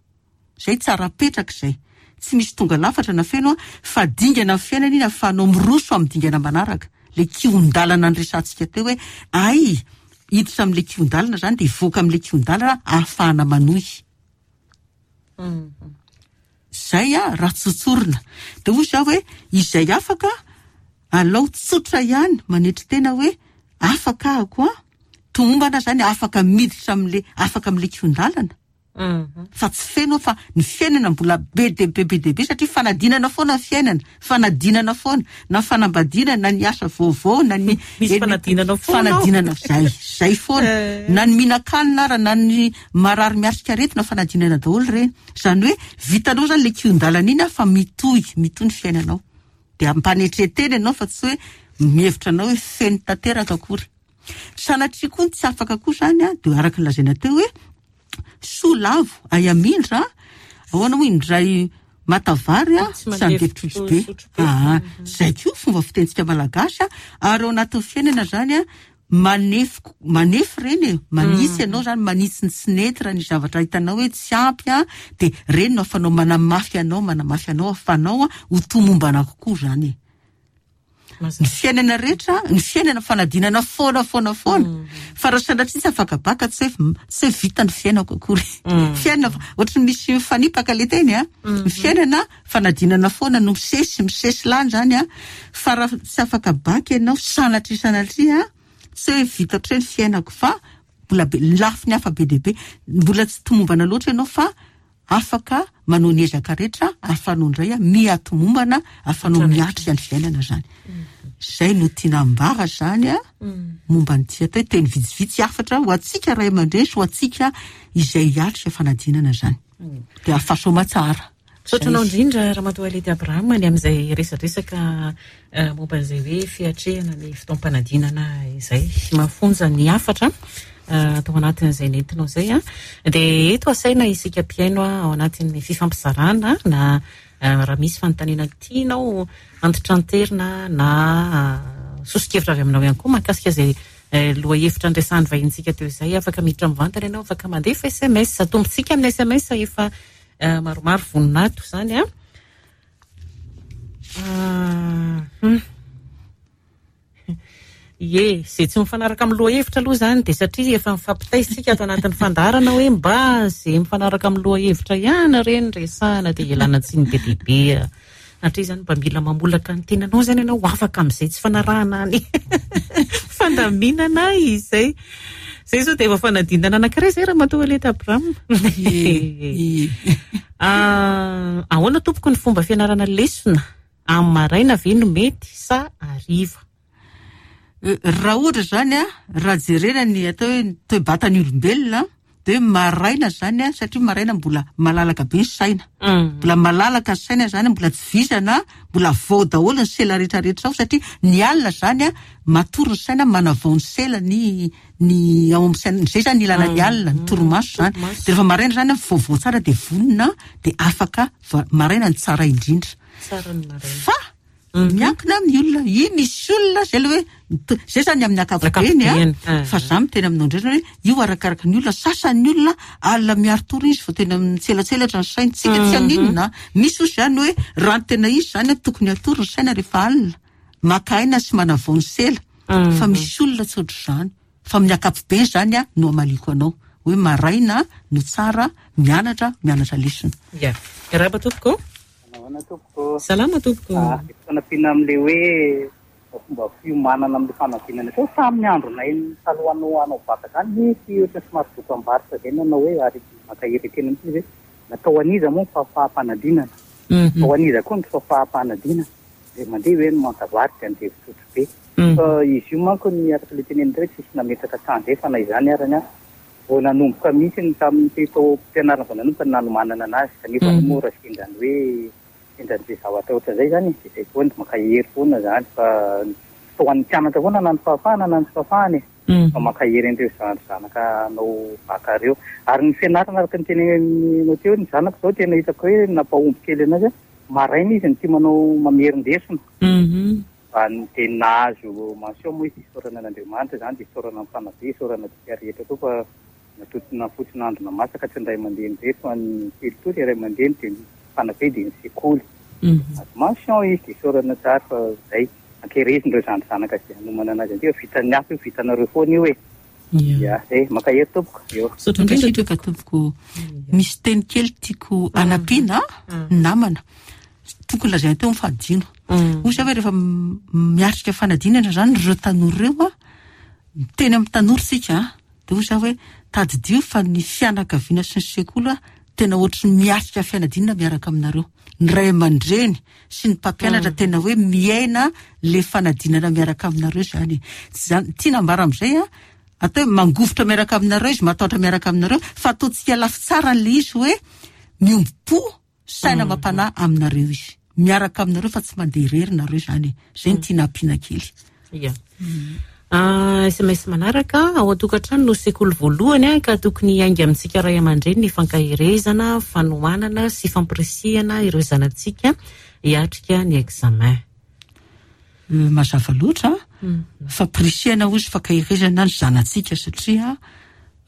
Speaker 2: Zay tsara apetraka izay. Tsy misy tonga lafatra na feno, fa dingana amin'ny fiainana iny ahafahanao miroso amin'ny dingana manaraka. Le kihon-dalana niresahantsika teo hoe ay, hiditra amin'le kihon-dalana zany dia hivoaka amin'le kihon-dalana ahafahana manohy. Zay a, raha tsotsorina. Dia hoy zaho hoe izay afaka alao tsotra ihany manetry tena hoe afaka ahako a, tomombana zany afaka miditra amin'le, afaka amin'le kihon-dalana. Fa tsy feno fa ny fiainana mbola be dia be, be dia be satria fanadinana foana ny fiainana, fanadinana foana, na fanambadiana, na ny asa vaovao, na ny
Speaker 1: Misy fanadinana foana ao.
Speaker 2: Fanadinana, zay, zay foana. Na ny mihinan-kanina ara, na ny marary miatrika aretina, fanadinana daholo ireny. Izany hoe vitanao zany le kihon-dalana iny fa mitohy, mitohy ny fiainanao. Dia ampanetren-tena ianao fa tsy hoe mihevitra anao hoe feno tanteraka akory. Sanatria koa ny tsy afaka koa zany a, dia araka ny lazaina teo hoe soa lavo ay amindra, ahoana moa indray matavary a,
Speaker 1: Tsy
Speaker 2: tsy mandefitra
Speaker 1: mandefitra
Speaker 2: be.
Speaker 1: sotro be.
Speaker 2: Zay koa fomba fitentsika malagasy a, ary ao anatin'ny fiainana zany a, manefy, manefy reny e, manitsy ianao zany, manitsy ny tsy nety raha ny zavatra hitanao hoe tsy ampy a, dia reny no ahafanao manamafy anao, manamafy anao, ahafanao a, ho tomombana kokoa zany e. Ny fiainana rehetra, ny fiainana fanadinana foana, foana, foana. Fa raha sanatria tsy afaka baka, tsy hoe, tsy hoe vita ny fiainako akory. Fiainana, ohatry ny misy mifanipaka le teny a. Ny fiainana fanadinana foana no misesy, misesy lany zany a. Fa raha tsy afaka baka ianao, sanatria, sanatria, tsy hoe vita ohatry ny fiainako, fa mbola be, lafiny hafa be dia be. Mbola tsy tomombana loatra ianao fa afaka manao ny ezaka rehetra ahafahanao indray a, miha-tomombana, ahafahanao miatrika ny fiainana zany. Zay no tiana ambara zany a, momba ny tia atao hoe teny vitsivitsy hafatra ho antsika ray aman-dreny sy ho antsika izay hiatrika fanadinana zany. Dia ahafahasoa tsara.
Speaker 1: Misaotra anao indrindra Ramatoa Ledy Abraham ny amin'izay resadresaka momba an'izay hoe fiatrehana ny fotoam-panadinana izay. Mafonja ny hafatra tao anatin'izay nentinao izay a. Dia eto asaina isika mpihaino ao anatin'ny fifampizarana na raha misy fanontaniana tianao antitranterina na soso-kevitra avy aminao ihany koa mahakasika izay lohahevitra niresahan'ny vahintsika teo izay, afaka miditra mivantana ianao, afaka mandefa SMS. Atombontsika amin'ny SMS efa maromaro voninato izany a. Ie, izay tsy mifanaraka amin'ny lohahevitra aloha izany dia satria efa mifampitaisika ato anatin'ny fandaharana hoe mba izay mifanaraka amin'ny lohahevitra ihany ireny resahana dia ialana tsiny be dia be. Satria izany mba mila mamolaka ny tenanao izany ianao ho afaka amin'izay tsy fanarahana ny fandaminana izay. Izay izao dia efa fanadinana anankiray izay Ramatoa Aleta Abraham.
Speaker 2: Ie.
Speaker 1: Ahoana tompoko ny fomba fianarana lesona? Amin'ny maraina ve no mety sa hariva?
Speaker 2: Raha ohatra izany a, raha jerena ny atao hoe ny toe-batan'ny olombelona, Dia maraina izany an, satria maraina mbola malalaka be ny saina. Mbola malalaka ny saina izany, mbola tsy vizana, mbola vao daholo ny sela rehetra rehetra ao satria ny alina izany an, matory ny saina, manavao ny sela ny ny ao amin'ny saina. Izay izany ilana ny alina, ny torimaso izany. Dia rehefa maraina izany an, vaovao tsara dia vonona, dia afaka, maraina no tsara indrindra.
Speaker 1: Tsara ny maraina.
Speaker 2: Fa Miankina amin'ny olona. I misy olona zay le hoe zay zany amin'ny ankapobeny a, fa za miteny aminao indray zany hoe io arakaraka ny olona, sasany ny olona alina miari-tory izy vao tena mitselatselatra ny sainy, tsika tsy haninona a, misy ozy zany hoe raha ny tena izy zany a tokony hatory ny saina rehefa alina, maka aina sy manavao ny sela, fa misy olona tsy ohatr'izany, fa amin'ny ankapobeny zany a no hamaliako anao hoe maraina no tsara mianatra, mianatra lesona.
Speaker 1: Ya. Miarahaba tompoko.
Speaker 3: Manahoana tompoko.
Speaker 1: Salama tompoko.
Speaker 3: Ah, fanampiana amin'ilay hoe fomba fiomanana amin'ilay fanadinana teo tamin'ny andronay taloha hanao hanao bacc zany nisy ohatran'ny somary dokam-barotra zay nanao hoe ary mankahery tena mihitsy izy hoe natao an'iza moa ny fahafaham-panadinana? Natao an'iza koa ny fahafaham-panadinana? Dia mandeha hoe ny manta-vary dia andevo sotro be. Fa izy io manko ny araka ilay tenenina teo hoe tsisy nametraka tandrefana izany arany an. Vao nanomboka mihitsy ny tamin'ny taom-pianarana vao nanomboka ny nanomanana anazy kanefa moa raha sendra ny hoe sendra ny zavatra ohatran'izay izany e, dia izay foana, mankahery foana izany fa tsy ho an'ny mpianatra foana na ny fahafahana na ny tsy fahafahana e, fa mankahery an'ireo zandry zanaka hanao bac ireo. Ary ny fianarana araka ny teneninao teo, ny zanako izao tena hitako hoe nampahomby kely anazy, maraina izy no tia manao mamerin-desona. Dia nahazo mention moa izy, isaorana an'Andriamanitra izany, dia isaorana ny mpanabe, isaorana antsika rehetra koa fa natontona fotsin'andro namasaka tsy ny ray aman-dreny irery fa ny kely toa ny ray aman-dreny dia ny mpanabe dia ny sekoly. Nahazo mention izy dia isaorana tsara fa izay, ankerezina ireo zandry zanaka izay hanomana anazy an'ity fa vitan'ny hafa io, vitanareo foana io e. Ya, izay, mankahery tompoko. Eo.
Speaker 1: Misaotra indrindra
Speaker 2: Mankasitraka tompoko. Misy teny kely tiako hanampiana namana. Tokony lazaina teo ny fahadino. Hoy za hoe rehefa miatrika fanadinana izany ireo tanora ireo an, miteny amin'ny tanora isika an, dia hoy za hoe tadidio fa ny fianakaviana sy ny sekoly an, tena ohatry ny miatrika fianadinana miaraka aminareo. Ny ray aman-dreny sy ny mpampianatra tena hoe miaina le fanadinana miaraka aminareo izany e. Tsy izany, tiana ambara amin'izay an, atao hoe mangovitra miaraka aminareo izy, matahotra miaraka aminareo, fa ataontsika lafy tsara an'ilay izy hoe miombom-po Saina amam-panahy aminareo izy. Miaraka aminareo fa tsy mandeha irery nareo izany e. Izay no tiana ampiana kely.
Speaker 1: Ia. Sms manaraka, ao an-tokantrano no sekoly voalohany ka tokony hiainga amintsika ray aman-dreny ny fankaherezana, fanohanana sy fampirisihana ireo zanatsika hiatrika ny examen.
Speaker 2: Mazava loatra fampirisihana hozy fankaherezana ny zanatsika satria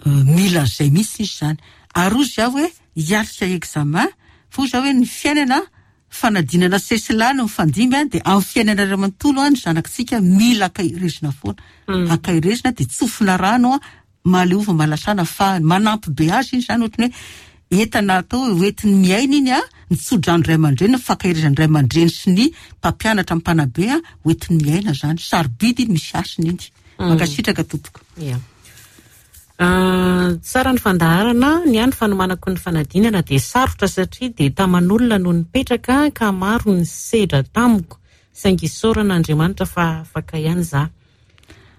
Speaker 2: mila an'izay mihitsy izy izany. Ary hozy aho hoe hiatrika examen fa hoy za hoe ny fiainana fanadinana sesilany mifandimby an dia amin'ny fiainana iray manontolo an ny zanakitsika mila ankaherezina foana ankaherezina dia tsofina rano an mahaleova mahalasana fa manampy be azy iny zany ohatran'ny hoe entana atao hoe hoentiny miaina iny an ny tso-drano ray aman-dreny ny fankaherezan'ny ray aman-dreny sy ny mpampianatra ny mpanabe an hoentiny miaina zany sarobidy iny misy hasiny iny mankasitraka tompoko.
Speaker 1: Ia. Tsara ny fandaharana, ny ahy ny fanomanako ny fanadinana dia sarotra satria dia taman'olona no nipetraka ka maro ny sedra tamiko saingy isaorana Andriamanitra fa afaka ihany za.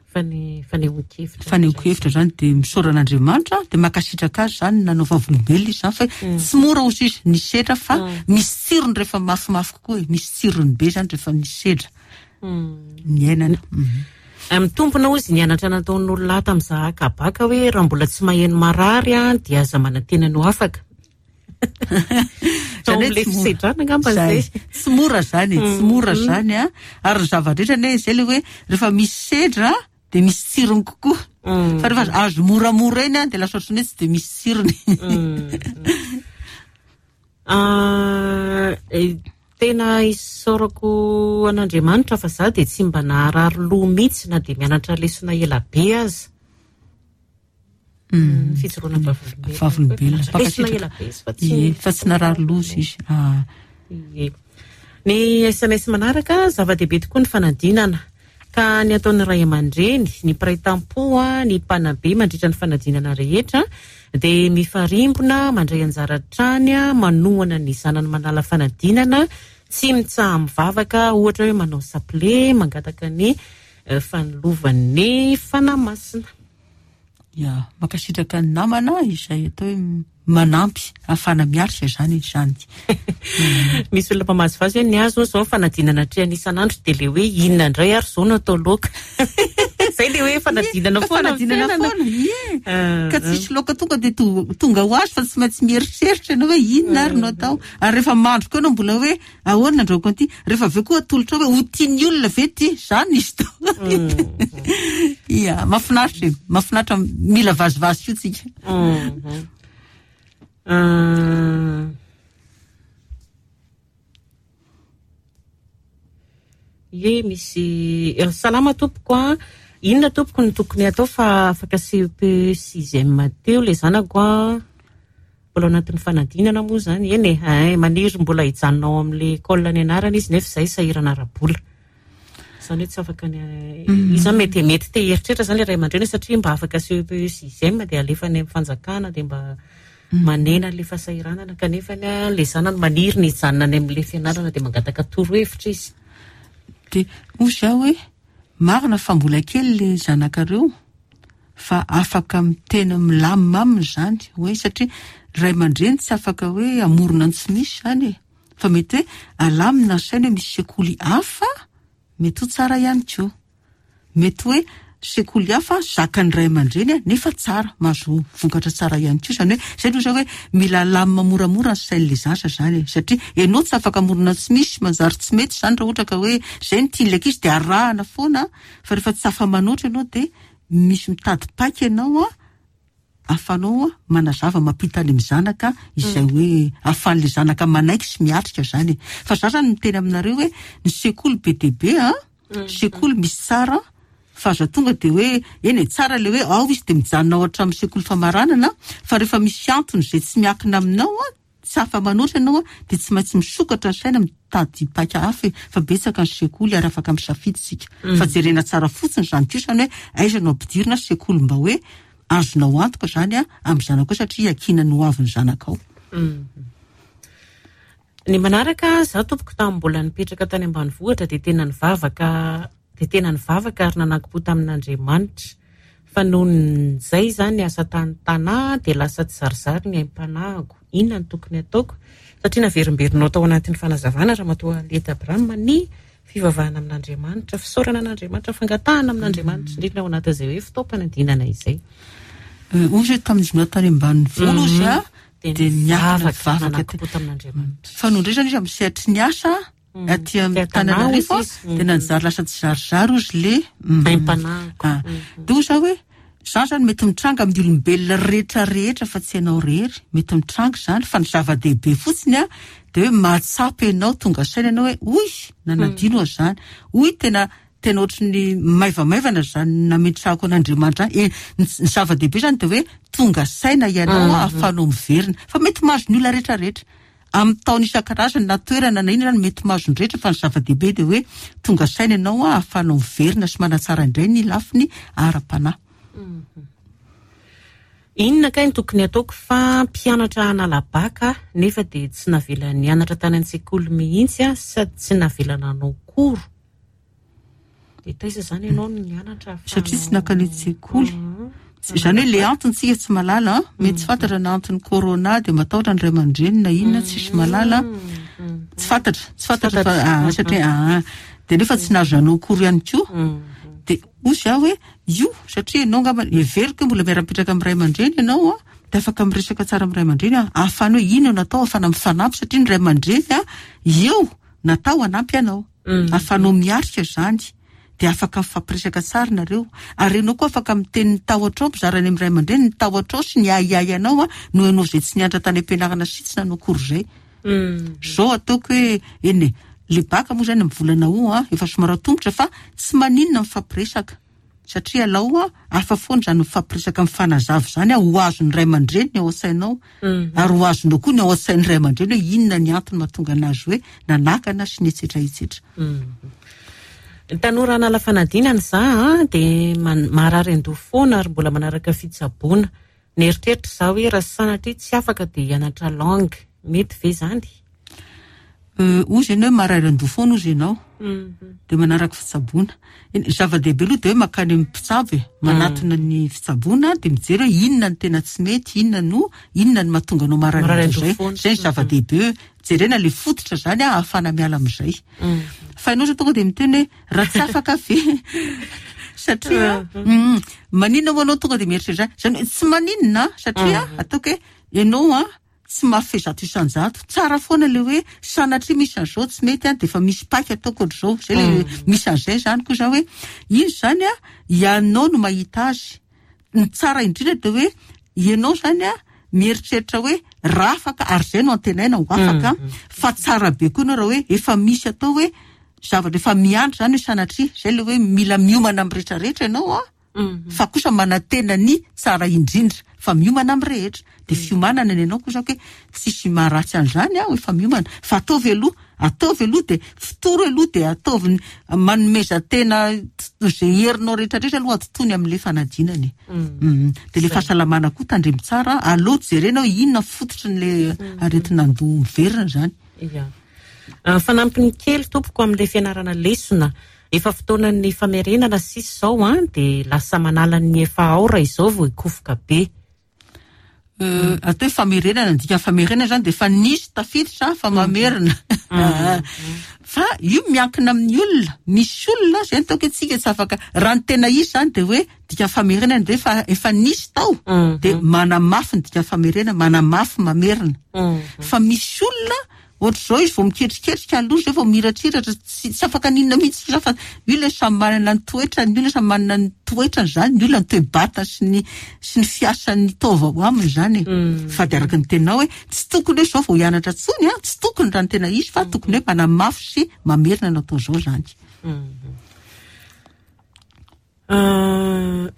Speaker 1: Fa ny fanehoan-kevitra.
Speaker 2: Fanehoan-kevitra zany dia misaora an'Andriamanitra dia mankasitraka azy zany nanao vavolombelona izy zany fa tsy mora hozy izy ny sedra fa misy tsirony rehefa mafimafy kokoa e, misy tsirony be zany rehefa misy sedra. Niainana.
Speaker 1: Mitombina hozy ny anatra nataon'olona ato amin'ny zahaka baka hoe raha mbola tsy maheno marary dia aza manantena ny ho afaka.
Speaker 2: Zany hoe
Speaker 1: fisedrana angamba
Speaker 2: zay. Tsy mora zany, tsy mora zany a. Ary ny zava-drehetra anie zay le hoe rehefa misy sedra dia misy tsirony kokoa. Fa rehefa azo moramora eny dia lasa ohatran'ny hoe tsy dia misy tsirony.
Speaker 1: Tena isaorako an'Andriamanitra fa za dia tsy mba naharary loha mihitsy na dia mianatra lesona ela be aza. Fijoroana vavolombelona.
Speaker 2: Vavolombelona.
Speaker 1: Lesona ela be izy fa tsy
Speaker 2: Ie, fa tsy narary loha izy. Ah.
Speaker 1: Ie. Ny sms manaraka, zava-dehibe tokoa ny fanadinana. Ka ny ataon'ny ray aman-dreny, ny mpiray tampo, ny mpanabe mandritra ny fanadinana rehetra dia mifarimbona, mandray anjara hatrany, manohana ny zanany manala fanadinana, tsy mitsaha-mivavaka, ohatra hoe manao sapile, mangataka ny fanilovan'ny Fanahy Masina.
Speaker 2: Ya, mankasitraka ny namana izay atao hoe manampy ahafahana miatrika izany izany.
Speaker 1: Misy olona mpamazivazy hoe ny azy hono izao ny fanadinana atrehany isan'andro dia ilay hoe inona indray ary izao no atao laoka. Izay ilay hoe fanadinana foana amin'ny
Speaker 2: Fanadinana
Speaker 1: fiainana.
Speaker 2: foana, ie. Ka tsisy laoka tonga dia tonga ho azy fa tsy maintsy mieritreritra ianao hoe inona ary no atao. Ary rehefa mandro koa ianao mbola hoe Ahoana andrahoako an'ity? Rehefa avy eo koa atolotrao hoe ho tian'ny olona ve ity? Izany izy tao. Ia, mahafinaritra e, mahafinaritra mila vazivazy koa tsika.
Speaker 1: Ie, misy salama tompoko a. Inona tompoko no tokony atao fa afaka CEPE sixième teo ilay zanako a. Mbola ao anatin'ny fanadinana moa izany, eny e, hay, maniry mbola hijanona ao amin'ilay école nianarana izy nefa izay sahirana ara-bola. Izany hoe tsy afaka ny, izy izany mety mety te hieritreritra izany ilay ray aman-dreny satria mba afaka CEPE sixième dia alefa any amin'ny fanjakana dia mba manena an'ilay fahasahiranana kanefa ilay zanany maniry ny hijanona any amin'ilay fianarana dia mangataka torohevitra izy.
Speaker 2: Dia hoy izaho hoe marina fa mbola kely ilay zanakareo fa afaka miteny milamina aminy izany hoe satria ray aman-dreny tsy afaka hoe hamorona ny tsy misy izany e, fa mety hoe alamina ny saina hoe misy sekoly hafa mety ho tsara ihany koa, mety hoe sekoly hafa zakan'ny ray aman-dreny nefa tsara, mahazo vokatra tsara ihany koa, izany hoe izay aloha izany hoe mila alamina moramora ny sain'ilay zaza izany e, satria ianao tsy afaka hamorona ny tsy misy, manjary tsy mety izany raha ohatra ka hoe izay no tian'ilay ankizy dia arahana foana fa rehefa tsy afa-manoatra ianao dia misy mitady paika ianao ahafahanao manazava mampita any amin'ny zanaka izay hoe ahafahan'ilay zanaka manaiky sy miatrika izany e. Fa za zany miteny aminareo hoe ny sekoly be dia be an, sekoly misy tsara fa aza tonga dia hoe eny e tsara ilay hoe ao izy dia mijanona ao hatramin'ny sekoly famaranana fa rehefa misy antony izay tsy miankina aminao an, Tsy afa-manoatra ianao dia tsy maintsy misokatra ny saina mitady paika hafa e! Fa betsaka ny sekoly ary afaka misafidy isika. Fa jerena tsara fotsiny izany kosa ny hoe aiza no ampidirina sekoly mba hoe azonao antoka izany amin'ny zanakao satria iankinan'ny ho avin'ny zanakao.
Speaker 1: Ny manaraka, izaho tompoko tamin'ny mbola nipetraka tany ambanivohitra dia tena nivavaka dia tena nivavaka ary nanankim-po tamin'Andriamanitra. Fa nohon'izay izany asa tany Tanà dia lasa tsizarizary ny aim-panahiko. Inona no tokony hataoko? Satria naverimberinao tao anatin'ny fanazavana Ramatoa Aliette Abraham ny fivavahana amin'Andriamanitra, fisaorana an'Andriamanitra, fangatahana amin'Andriamanitra, indrindra ao anatin'izay hoe fotoam-panadinana izay.
Speaker 2: Hoy izy hoe tamin'izy mbola tany ambanivolo izy dia niakina nivavaka
Speaker 1: nanankim-po tamin'Andriamanitra.
Speaker 2: Fa nony indray izany izy amin'ny sehatry ny asa aty amin'ny Antananarivo dia nanjary lasa tsizarizary ozy le
Speaker 1: aim-panahiko.
Speaker 2: Dia hoy za hoe izany zany mety mitranga amin'ny olombelona rehetra rehetra fa tsy ianao irery, mety mitranga izany fa ny zava-dehibe fotsiny an dia hoe mahatsapa ianao, tonga saina ianao hoe oy nanadino aho izany, oy tena tena ohatry ny maivamaivana izany nametrahako an'Andriamanitra izany. E, ny zava-dehibe izany dia hoe tonga saina ianao ahafahanao miverina fa mety mahazo ny olona rehetra rehetra. Amin'ny taona isan-karazany na toerana na inona mety mahazo ny rehetra fa ny zava-dehibe dia hoe tonga saina ianao ahafahanao miverina sy manatsara indray ny lafiny ara-panahy.
Speaker 1: Inona kay no tokony ataoko fa mpianatra hanala bac aho nefa dia tsy navela nianatra tany an-tsekoly mihitsy aho sady tsy navela nanao cours. Dia taiza izany ianao no nianatra ahafahanao.
Speaker 2: Satria tsy nankany an-tsekoly. Izany hoe le antony tsika tsy mahalala an, mety tsy fantatra na antony corona dia matahotra ny ray aman-dreny na inona tsisy mahalala. Tsy fantatra, tsy fantatra fa ah, satria ah, dia nefa tsy nahazo nanao cours ihany koa. Dia hoy izaho hoe io satria ianao angamba heveriko hoe mbola miara-mipetraka amin'ny ray aman-dreny ianao an, dia afaka miresaka tsara amin'ny ray aman-dreny an, ahafahana hoe inona no atao ahafahana mifanampy satria ny ray aman-dreny an eo natao hanampy anao. Ahafahanao miatrika izany dia afaka mifampiresaka tsara nareo ary ianao koa afaka miteny ny tahotrao mizara any amin'ny ray aman-dreny ny tahotrao sy ny ahiahy anao noho ianao izay tsy nianatra tany am-pianarana sy tsy nanao cours izay. Izao ataoko hoe eny e, le bac moa izany amin'ny volana août efa somary atomotra fa tsy maninona mifampiresaka. Satria alao hafa foana izany mifampiresaka mifanazava izany ho azon'ny ray aman-dreny ny ao an-tsainao ary ho azonao koa ny ao an-tsain'ny ray aman-dreny hoe inona ny antony mahatonga anazy hoe nanakana sy ny etsetra etsetra.
Speaker 1: Ny tanora hanala fanadinana za dia marary an-doha foana ary mbola manaraka fitsaboana. Nieritreritra za hoe raha sanatria tsy afaka dia hianatra langue. Mety ve izany?
Speaker 2: Hozy ianao hoe marary an-doha foana hozy ianao. Dia manaraka fitsaboana. Ny zava-dehibe aloha dia hoe mankany amin'ny mpitsabo e, manatona ny fitsaboana dia mijery hoe inona no tena tsy mety, inona no inona no mahatonga anao marary an-doha izay. Izay ny zava-dehibe hoe jerena ilay fototra izany ahafahana miala amin'izay. Fa ianao izao tonga dia miteny hoe raha tsy afaka ve satria maninona moa ianao tonga dia mieritreritra izany? Izany hoe tsy maninona satria ataoko hoe ianao an tsy mahafehy 100%, tsara foana ilay hoe sanatria misy an'izao tsy mety an, dia efa misy paika ataoko ohatr'izao, izay ilay misy an'izay izany koa izany hoe iny izany an, ianao no mahita azy, ny tsara indrindra dia hoe ianao izany an mieritreritra hoe raha afaka, ary izay no antenaina ho afaka, fa tsara be koa ianao raha hoe efa misy atao hoe zavatra efa miandry izany hoe sanatria, izay ilay hoe mila miomana amin'ny rehetrarehetra ianao an. Fa kosa manantena ny tsara indrindra fa miomana amin'ny rehetra. Dia fiomanana ny anao kosa hoe tsisy maharatsy an'izany aho efa miomana. Fa ataovy aloha, ataovy aloha dia fotoro aloha dia ataovy ny manomeza tena izay herinao rehetra rehetra aloha atontony amin'ilay fanadinana e. Dia ilay fahasalamana koa tandremo tsara, aleo jerena hoe inona fototry ny aretin'andoha miverina izany.
Speaker 1: Ia. Fanampiny kely tompoko amin'ilay fianarana lesona. Efa fotoanan'ny famerenana sisa izao an, dia lasa manala ny efa ao raha izao vao hikofoka be.
Speaker 2: Atao hoe famerenana, ny dikan'ny famerenana izany dia efa nisy tafiditra fa mamerina. Fa io miankina amin'ny olona, misy olona izay no ataoko hoe tsika tsy afaka, raha ny tena izy izany dia hoe dikan'ny famerenana dia efa efa nisy tao dia manamafy ny dikan'ny famerenana, manamafy mamerina. Fa misy olona Ohatr'izao izy vao miketriketrika aloha izay vao miratsiratra, tsy tsy afaka n'inona mihitsy izy fa io ilay samy manana ny toetrany, ny olona samy manana ny toetrany izany, ny olona ny toe-batany sy ny sy ny fiasan'ny taova ao aminy izany e. Fa dia araka ny teninao hoe tsy tokony hoe izao vao hianatra intsony an, tsy tokony raha ny tena izy fa tokony hoe manamafy sy mamerina ny atao izao izany.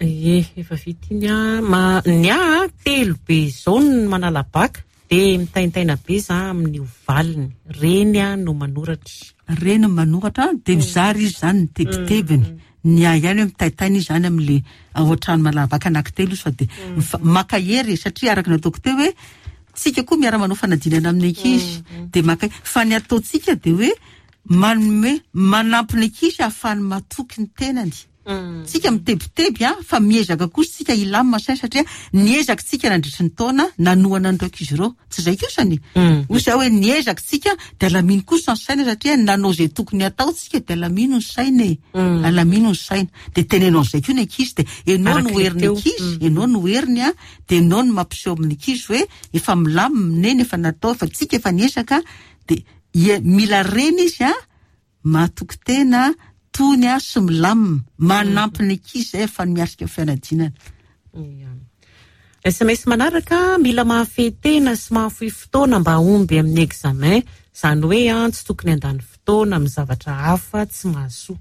Speaker 1: Ie, efa vita iny an. Ma, ny ahy an, telo be izao ny manala baka, dia mitaintaina be za amin'io valiny. Reny aho no manoratra.
Speaker 2: Reny no manoratra, dia mizara izy izany ny tebitebiny. Ny ahy ihany hoe mitaintaina izy izany amin'ilay ao an-trano manala baka anankitelo izy fa dia maka hery e, satria araka ny ataoko teo hoe tsika koa miara-manao fanadinana amin'ny ankizy, dia maka, fa ny ataontsika dia hoe Manome, manampy ny ankizy hahafahany matoky ny tenany. Tsika mitebiteby an, fa miezaka kosa tsika hilamina saina satria niezaka tsika nandritry ny taona nanohana an'ireo ankizy ireo. Tsy izay kosa ny? Hoy izaho hoe niezaka tsika dia alamino kosa ny saina satria nanao izay tokony hatao tsika dia alamino ny saina e. Alamino ny saina. Dia teneno an'izay koa ny ankizy dia ianao no herin'ny ankizy, ianao no heriny an, dia ianao no mampiseho amin'ny ankizy hoe efa milamina neny, efa natao, efa tsika efa niezaka dia Ie, mila reny izy a, matoky tena, tony a, sy milamina, manampy ny ankizy izay ahafahany miatrika ny fianadinana.
Speaker 1: Ia. Sms manaraka, mila mahafehy tena sy mahafoy fotoana mba hahomby amin'ny examen, izany hoe an, tsy tokony handany fotoana amin'ny zavatra hafa tsy mahasoa.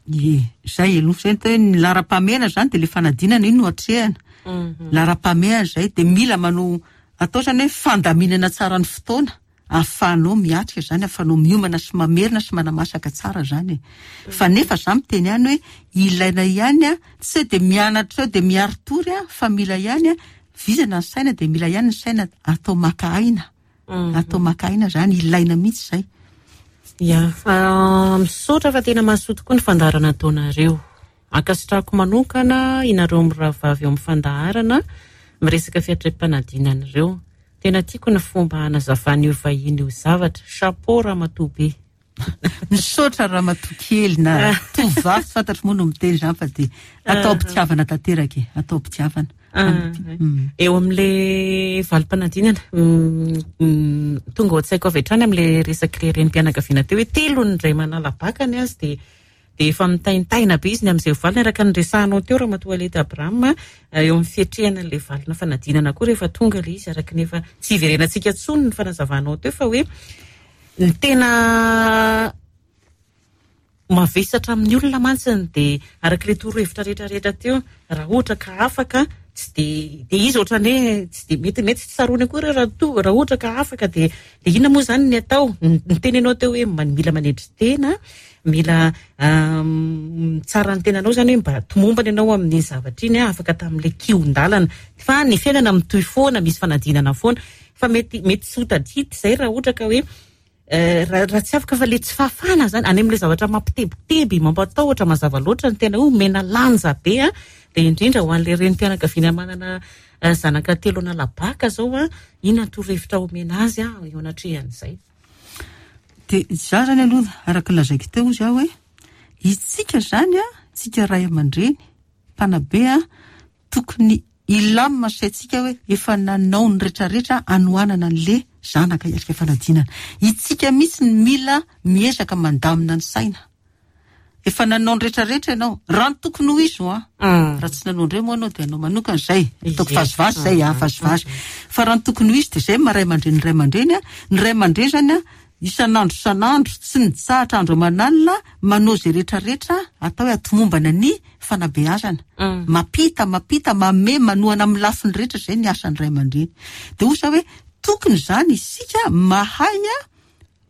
Speaker 2: Ie, izay aloha, izay ny atao hoe ny laharam-pahamehana izany dia ilay fanadinana iny no atrehana. Laharam-pahamehana izay, dia mila manao, atao izany hoe fandaminana tsara ny fotoana. Ahafahanao miatrika izany, ahafahanao miomana sy mamerina sy manamasaka tsara izany e. Fa nefa za miteny ihany hoe ilaina ihany an, tsy hoe dia mianatra eo dia miari-tory an, fa mila ihany an, vizana ny saina dia mila ihany ny saina atao maka aina. Atao maka aina izany, ilaina mihitsy izay.
Speaker 1: Ya, misaotra fa tena mahasoa tokoa ny fandaharana ataonareo. Ankasitrahako manokana inareo mirahavavy ao amin'ny fandaharana miresaka fiatreham-panadinana ireo. Tena tiako ny fomba hanazavan'io vahiny io zavatra. Chapeau ramatoa be.
Speaker 2: Misaotra ramatoa kely na tovovavy tsy fantatro moa no miteny izany fa dia atao am-pitiavana tanteraka e, atao am-pitiavana.
Speaker 1: Eo amin'ilay valim-panadinana, tonga ao an-tsaiko avy hatrany amin'ilay resak'ilay renim-pianakaviana teo hoe telo ny indray manala baka ny azy dia Dia efa mitaintaina be izy ny amin'izay ho valiny, araka ny resahanao teo Ramatoa Aleta Abraham, eo amin'ny fiatrehana an'ilay valina fanadinana koa rehefa tonga ilay izy, araka ny efa tsy hiverenantsika intsony ny fanazavanao teo fa hoe ny tena mavesatra amin'ny olona mantsy dia araka ilay torohevitra rehetra rehetra teo, raha ohatra ka afaka tsy dia dia izy ohatran'ny hoe tsy dia mety mety tsy tsaroany akory raha toa raha ohatra ka afaka dia dia inona moa izany ny atao? Niteny ianao teo hoe mila manetry tena Mila mitsara ny tenanao izany hoe mba tomombana ianao amin'iny zavatra iny, afaka tamin'ilay kihon-dalana. Fa ny fiainana mitohy foana, misy fanadinana foana. Fa mety mety tsy ho tadidy izay raha ohatra ka hoe Raha tsy afaka fa le tsy fahafahana zany any amin'ilay zavatra mampitebiteby, mampatahotra mazava loatra ny tena hoe omena lanja be an, dia indrindra ho an'ilay renim-pianakaviana manana zanaka telo hanala-baka zao an, inona ny torohevitra omena azy an eo anatrehan'izay?
Speaker 2: Dia izaho zany aloha araka ny lazaiko teo hozy aho hoe isika zany an, isika ray aman-dreny, mpanabe an, Tokony hilamina ny saintsika hoe efa nanao ny retraretra hanohanana an'le zanaka hiatrika fanadinana. Itsika mihitsy no mila miezaka mandamina ny saina. Efa nanao ny retraretra ianao. Raha ny tokony ho izy hoa. Raha tsy nanao indray moa ianao dia anao manokana izay. Ataoko vazivazy izay an, vazivazy. Fa raha ny tokony ho izy dia izay maha ray aman-dreny ny ray aman-dreny an. Ny ray aman-dreny izany an, isan'andro isan'andro, tsy mitsahatra andro aman'alina, manao izay retraretra atao hoe hatomombana ny fanabeazana. Mampita, mampita, manome, manohana amin'ny lafiny rehetra izay ny asan'ny ray aman-dreny. Dia hoy za hoe tokony izany isika mahay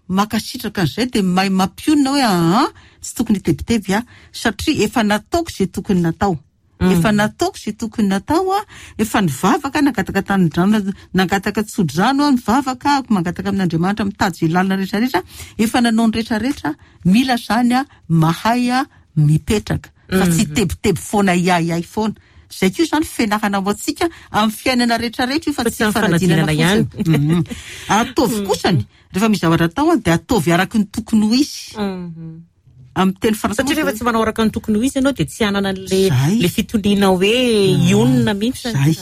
Speaker 2: mankasitraka an'izay dia mahay mampionona hoe aa tsy tokony hitebiteby aho satria efa nataoko izay tokony natao. Efa nataoko izay tokony natao aho, efa nivavaka aho, nangataka tanidrano, nangataka tsodrano aho, nivavaka aho, mangataka amin'Andriamanitra mitady izay lalana rehetra rehetra, efa nanao ny rehetra rehetra, mila izany aho mahay mipetraka fa tsy hitebiteby foana hiahiahy foana. Izay koa izany fianarana ho antsika amin'ny fiainana rehetra rehetra io fa tsy fanadinana ihany. Ataovy kosany rehefa misy zavatra atao dia ataovy araka ny tokony ho izy. Amin'ny teny frantsay
Speaker 1: Satria rehefa tsy manao araka ny tokony ho izy ianao dia tsy hanana an'le le fitoniana hoe hionona mihitsy.
Speaker 2: Zay.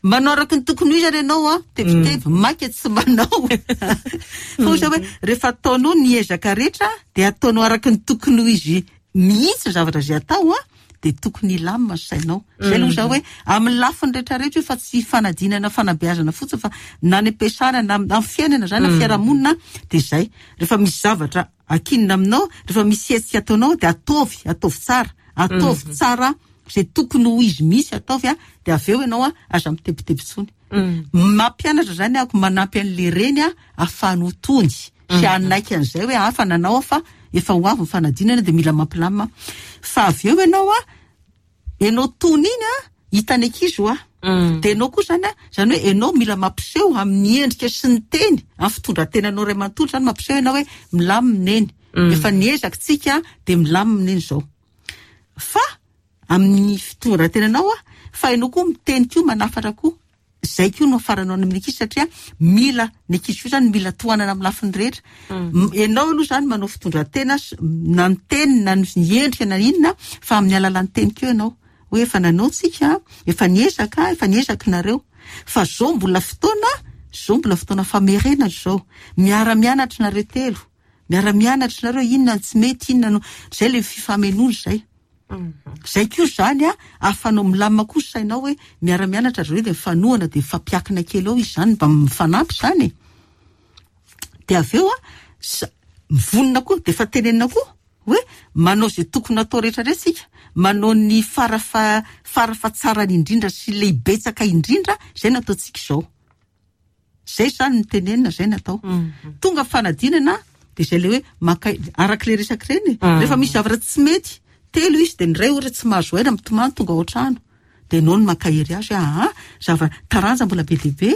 Speaker 2: Manao araka ny tokony ho izy ary ianao an, tebiteby, maika tsy manao. Fa hoy za hoe rehefa ataonao ny ezaka rehetra dia ataonao araka ny tokony ho izy mihitsy ny zavatra izay atao an, dia tokony hilamina ny sainao. Izay aloha za hoe amin'ny lafiny rehetra rehetra io fa tsy fanadinana fanabeazana fotsiny fa na any am-piasana na amin'ny fiainana izany na fiarahamonina dia izay. Rehefa misy zavatra ankinina aminao, rehefa misy hetsika ataonao dia ataovy, ataovy tsara, ataovy tsara izay tokony ho izy mihitsy ataovy an, dia avy eo ianao an aza mitebiteby intsony. Mampianatra izany aho, manampy an'ilay reny an ahafahany ho tony sy hanaiky an'izay hoe hafa nanao aho fa efa ho avy ny fanadinana dia mila mampilamina. Fa avy eo ianao an, ianao tony iny an, hitan'ny ankizy hoa. Dia ianao koa izany an, izany hoe ianao mila mampiseho amin'ny endrika sy ny teny, amin'ny fitondran-tenanao iray manontolo izany mampiseho ianao hoe milamina neny. Efa niezaka tsika dia milamina neny izao. Fa amin'ny fitondran-tenanao an, fa ianao koa miteny koa manafatra koa. Izay koa no hafaranao any amin'ny ankizy satria mila, ny ankizy koa izany mila tohanana amin'ny lafiny rehetra. Ianao aloha izany manao fitondran-tena na ny teny na ny endrika na inona fa amin'ny alalan'ny teny koa ianao. Hoe efa nanao tsika, efa niezaka, efa niezaka nareo. Fa izao mbola fotoana, izao mbola fotoana famerenana izao. Miara-mianatra nareo telo. Miara-mianatra nareo inona no tsy mety, inona no, izay ilay fifamenoana izay. Izay koa izany an, ahafahanao milamina koa ny sainao hoe miara-mianatra ry zareo dia mifanohana dia mifampiakina kely eo izy izany mba mifanampy izany e. Dia avy eo an, mivonona koa dia efa tenenina koa hoe manao izay tokony hatao rehetra rehetra isika, manao ny fara fara fahatsarany indrindra sy lehibetsaka indrindra, izay no ataontsika izao. Zay zany ny tenenina, zay ny atao. Tonga fanadinana dia zay le hoe maka araka le resaka ireny e. Rehefa misy zavatra tsy mety, telo izy dia ny iray ohatra tsy mahazo aina mitomany tonga ao an-trano. Dia ianao no mankahery azy hoe aa zava taranja mbola be dia be.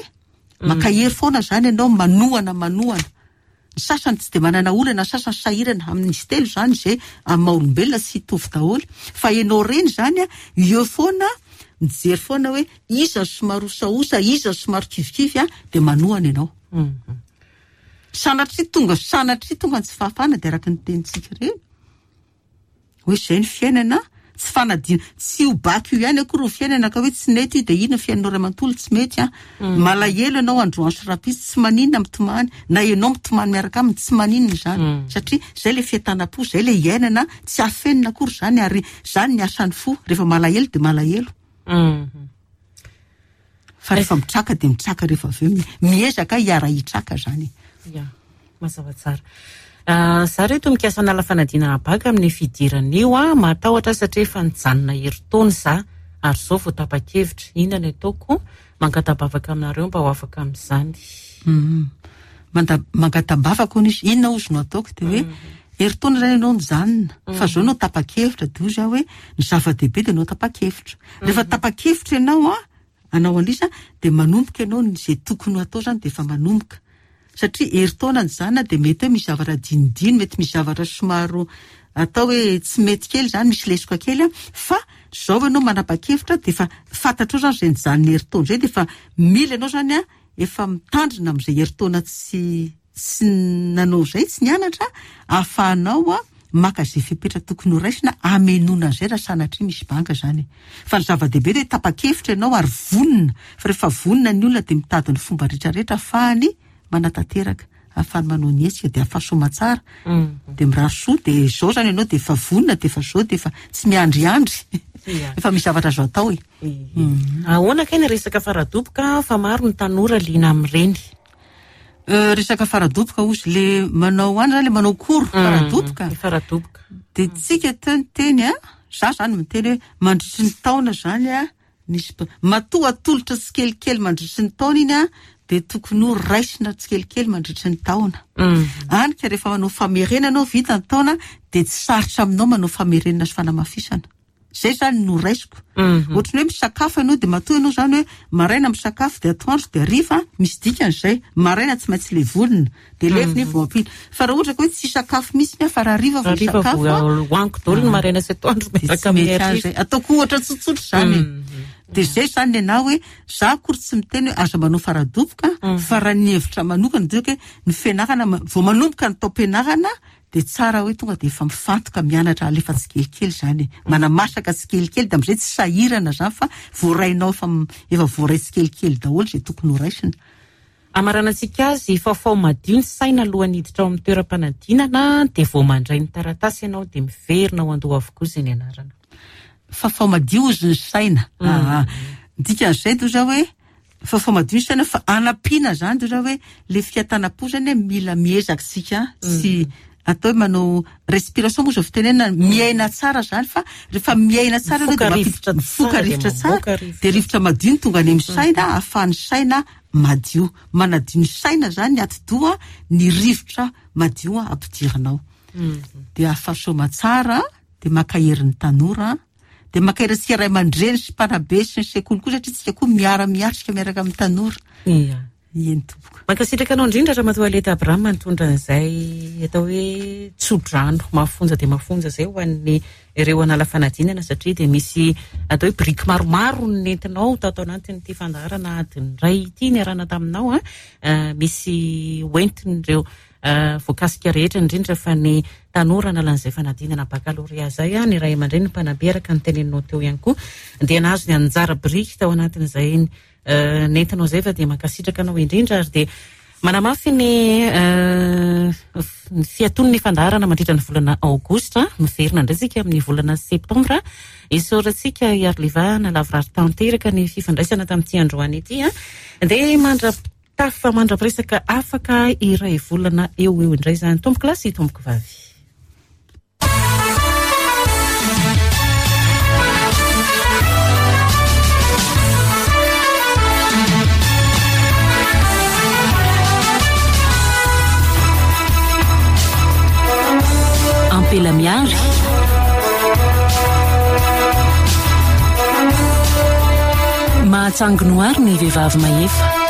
Speaker 2: Mankahery foana zany ianao manohana manohana. Ny sasany tsy dia manana olana, ny sasany sahirana amin'izy telo izany izay amin'ny maha olombelona tsy hitovy daholo. Fa ianao reny izany an, eo foana, mijery foana hoe iza no somary osaosa, iza no somary kivikivy an, dia manohana ianao. Sanatria tonga, sanatria tonga ny tsy fahafahana dia araka ny tenintsika ireny. Hoe izay ny fiainana, tsy fanadino, tsy io bac io ihany akory ny fiainana ka hoe tsy nety io dia iny ny fiainanao iray manontolo tsy mety an. Malahelo ianao androany sy rahampitso, tsy maninona mitomany, na ianao mitomany miaraka aminy, tsy maninona izany. Satria izay ilay fientanam-po, izay ilay iainana, tsy afenina akory izany ary izany ny asan'ny fo, rehefa malahelo dia malahelo. Fa rehefa mitraka dia mitraka rehefa avy eo, miezaka hiara-hitraka izany e.
Speaker 1: Ya, mazava tsara. Za reto mikasa hanala fanadinana bac amin'ny fidirana io a, matahotra aho satria efa nijanona herintaona za ary zao vao tapa-kevitra, inona ny ataoko? Mangata-bavaka aminareo mba ho afaka amin'izany.
Speaker 2: Mangata-bavaka hono izy, inona hozy no ataoko? Dia hoe herintaona izany ianao nijanona, fa zao no tapa-kevitra, dia hoy za hoe ny zava-dehibe dia ianao tapa-kevitra. Rehefa tapa-kevitra ianao an, hanao an'isa dia manomboka ianao ny izay tokony ho atao izany dia efa manomboka. Satria herintaona nijanona dia mety hoe misy zavatra dinidiny, mety misy zavatra somary atao hoe tsy mety kely izany, misy lesoka kely an, fa izao ianao manapa-kevitra dia efa fantatrao izany izay nijanona herintaona izay dia efa mila ianao izany an, efa mitandrina amin'izay herintaona tsy tsy nanao izay, tsy nianatra, ahafahanao maka izay fepetra tokony ho raisina hamenoana an'izay raha sanatria misy banga izany e. Fa ny zava-dehibe dia tapa-kevitra ianao ary vonona, fa rehefa vonona ny olona dia mitady ny fomba rehetra rehetra ahafahany manatanteraka, ahafahany manao ny hetsika dia ahafaha soamatsara, dia mirary soa dia izao izany ianao dia efa vonona dia efa izao dia efa tsy miandriandry, efa misy zavatra azo atao e.
Speaker 1: Ahoana kay ny resaka faradoboka fa maro ny tanora liana amin'ireny?
Speaker 2: Resaka faradoboka ozy le manao any zany le manao cours faradoboka.
Speaker 1: Le faradoboka.
Speaker 2: De tsika teo niteny a, za zany miteny hoe mandritry ny taona zany a, misy matoa atolotra tsikelikely mandritry ny taona iny a, de tokony ho raisina tsikelikely mandritry ny taona. Any ka rehefa manao famerenana anao vita ny taona de tsy sarotra aminao manao famerenana sy fanamafisana. Zay zany no raisiko. Ohatran'ny hoe misakafo ianao dia matoa ianao zany hoe maraina misakafo dia atoandro dia hariva, misy dikany izay. Maraina tsy maintsy levonina, dia levona iny vao ampiana. Fa raha ohatra ka hoe tsy hisakafo mihitsy aho fa raha hariva vao
Speaker 1: Hariva
Speaker 2: hisakafo
Speaker 1: vao
Speaker 2: aho,
Speaker 1: hohaniko daholo ny maraina sy atoandro
Speaker 2: dia tsy
Speaker 1: miaraka amin'ny
Speaker 2: mety ahy
Speaker 1: hariva.
Speaker 2: izay. Ataoko ohatra tsotsotra izany e. Dia izay izany ny anah hoe za akory tsy miteny hoe aza manao faradoboka fa raha ny hevitra manokana dia hoe ny fianarana vao manomboka ny taom-pianarana Dia tsara hoe tonga dia efa mifantoka mianatra alefa tsikelikely izany e. Manamasaka tsikelikely dia amin'izay tsy sahirana izany fa voarainao efa efa voaray tsikelikely daholo izay tokony ho raisina.
Speaker 1: Hamaranantsika azy, fafao madio ny saina alohan'ny hiditra ao amin'ny toeram-panadinana dia vao mandray ny taratasy ianao dia miverina ao an-doha avokoa izay nianarana.
Speaker 2: Fafao madio ozy ny saina. Aa. Ny dikan'izay toa izao hoe Fa madio ny saina fa anampiana zany de hoe le fiatanam-po zany hoe mila miezaka isika sy atao hoe manao respiration moa zao fitenenana miaina tsara zany fa rehefa miaina tsara ianao
Speaker 1: Mifoka
Speaker 2: de
Speaker 1: rivotra
Speaker 2: mampiditra mifoka
Speaker 1: tsara dia
Speaker 2: rivotra tsara
Speaker 1: mamoaka rivotra.
Speaker 2: de rivotra madio no tonga any amin'ny saina ahafahan'ny saina madio. Manadio ny saina zany ny atidoha ny rivotra madio ampidirinao. De ahafaha-soma tsara de mankahery ny tanora. Dia mankahery antsika ray aman-dreny sy mpanabe sy ny sekoly koa satria tsika koa miara-miatrika miaraka amin'ny tanora.
Speaker 1: Ia.
Speaker 2: Eny tompoko.
Speaker 1: Mankasitraka anao indrindra Ramatoa Aleta Abraham nitondra an'izay atao hoe tso-drano mafonja dia mafonja izay ho an'ny ireo hanala fanadinana satria dia misy atao hoe biriky maromaro no nentinao tato anatin'ity fandaharana adiny iray ity niarahana taminao an. Misy hoentin'ireo voakasika rehetra, indrindra fa ny tanora analan'izay fanadinana bakalorea izay, ny ray aman-dreny, ny mpanabe araka ny teneninao teo ihany koa dia nahazo ny anjara biriky tao anatin'izay nentinao izay fa dia mankasitraka anao indrindra ary dia manamafy ny ny fiaton'ny fandaharana mandritra ny volana aogositra. Miverina indray isika amin'ny volana septambra. Isaorantsika i Arliva nalavorary tanteraka ny fifandraisana tamin'ity androany ity dia mandra Tafa mandra-piresaka afaka iray volana eo ho eo indray izany tompokolahy sy tompokovavy.
Speaker 4: Ampela miary. Mahatsangy noary ny vehivavy mahefa.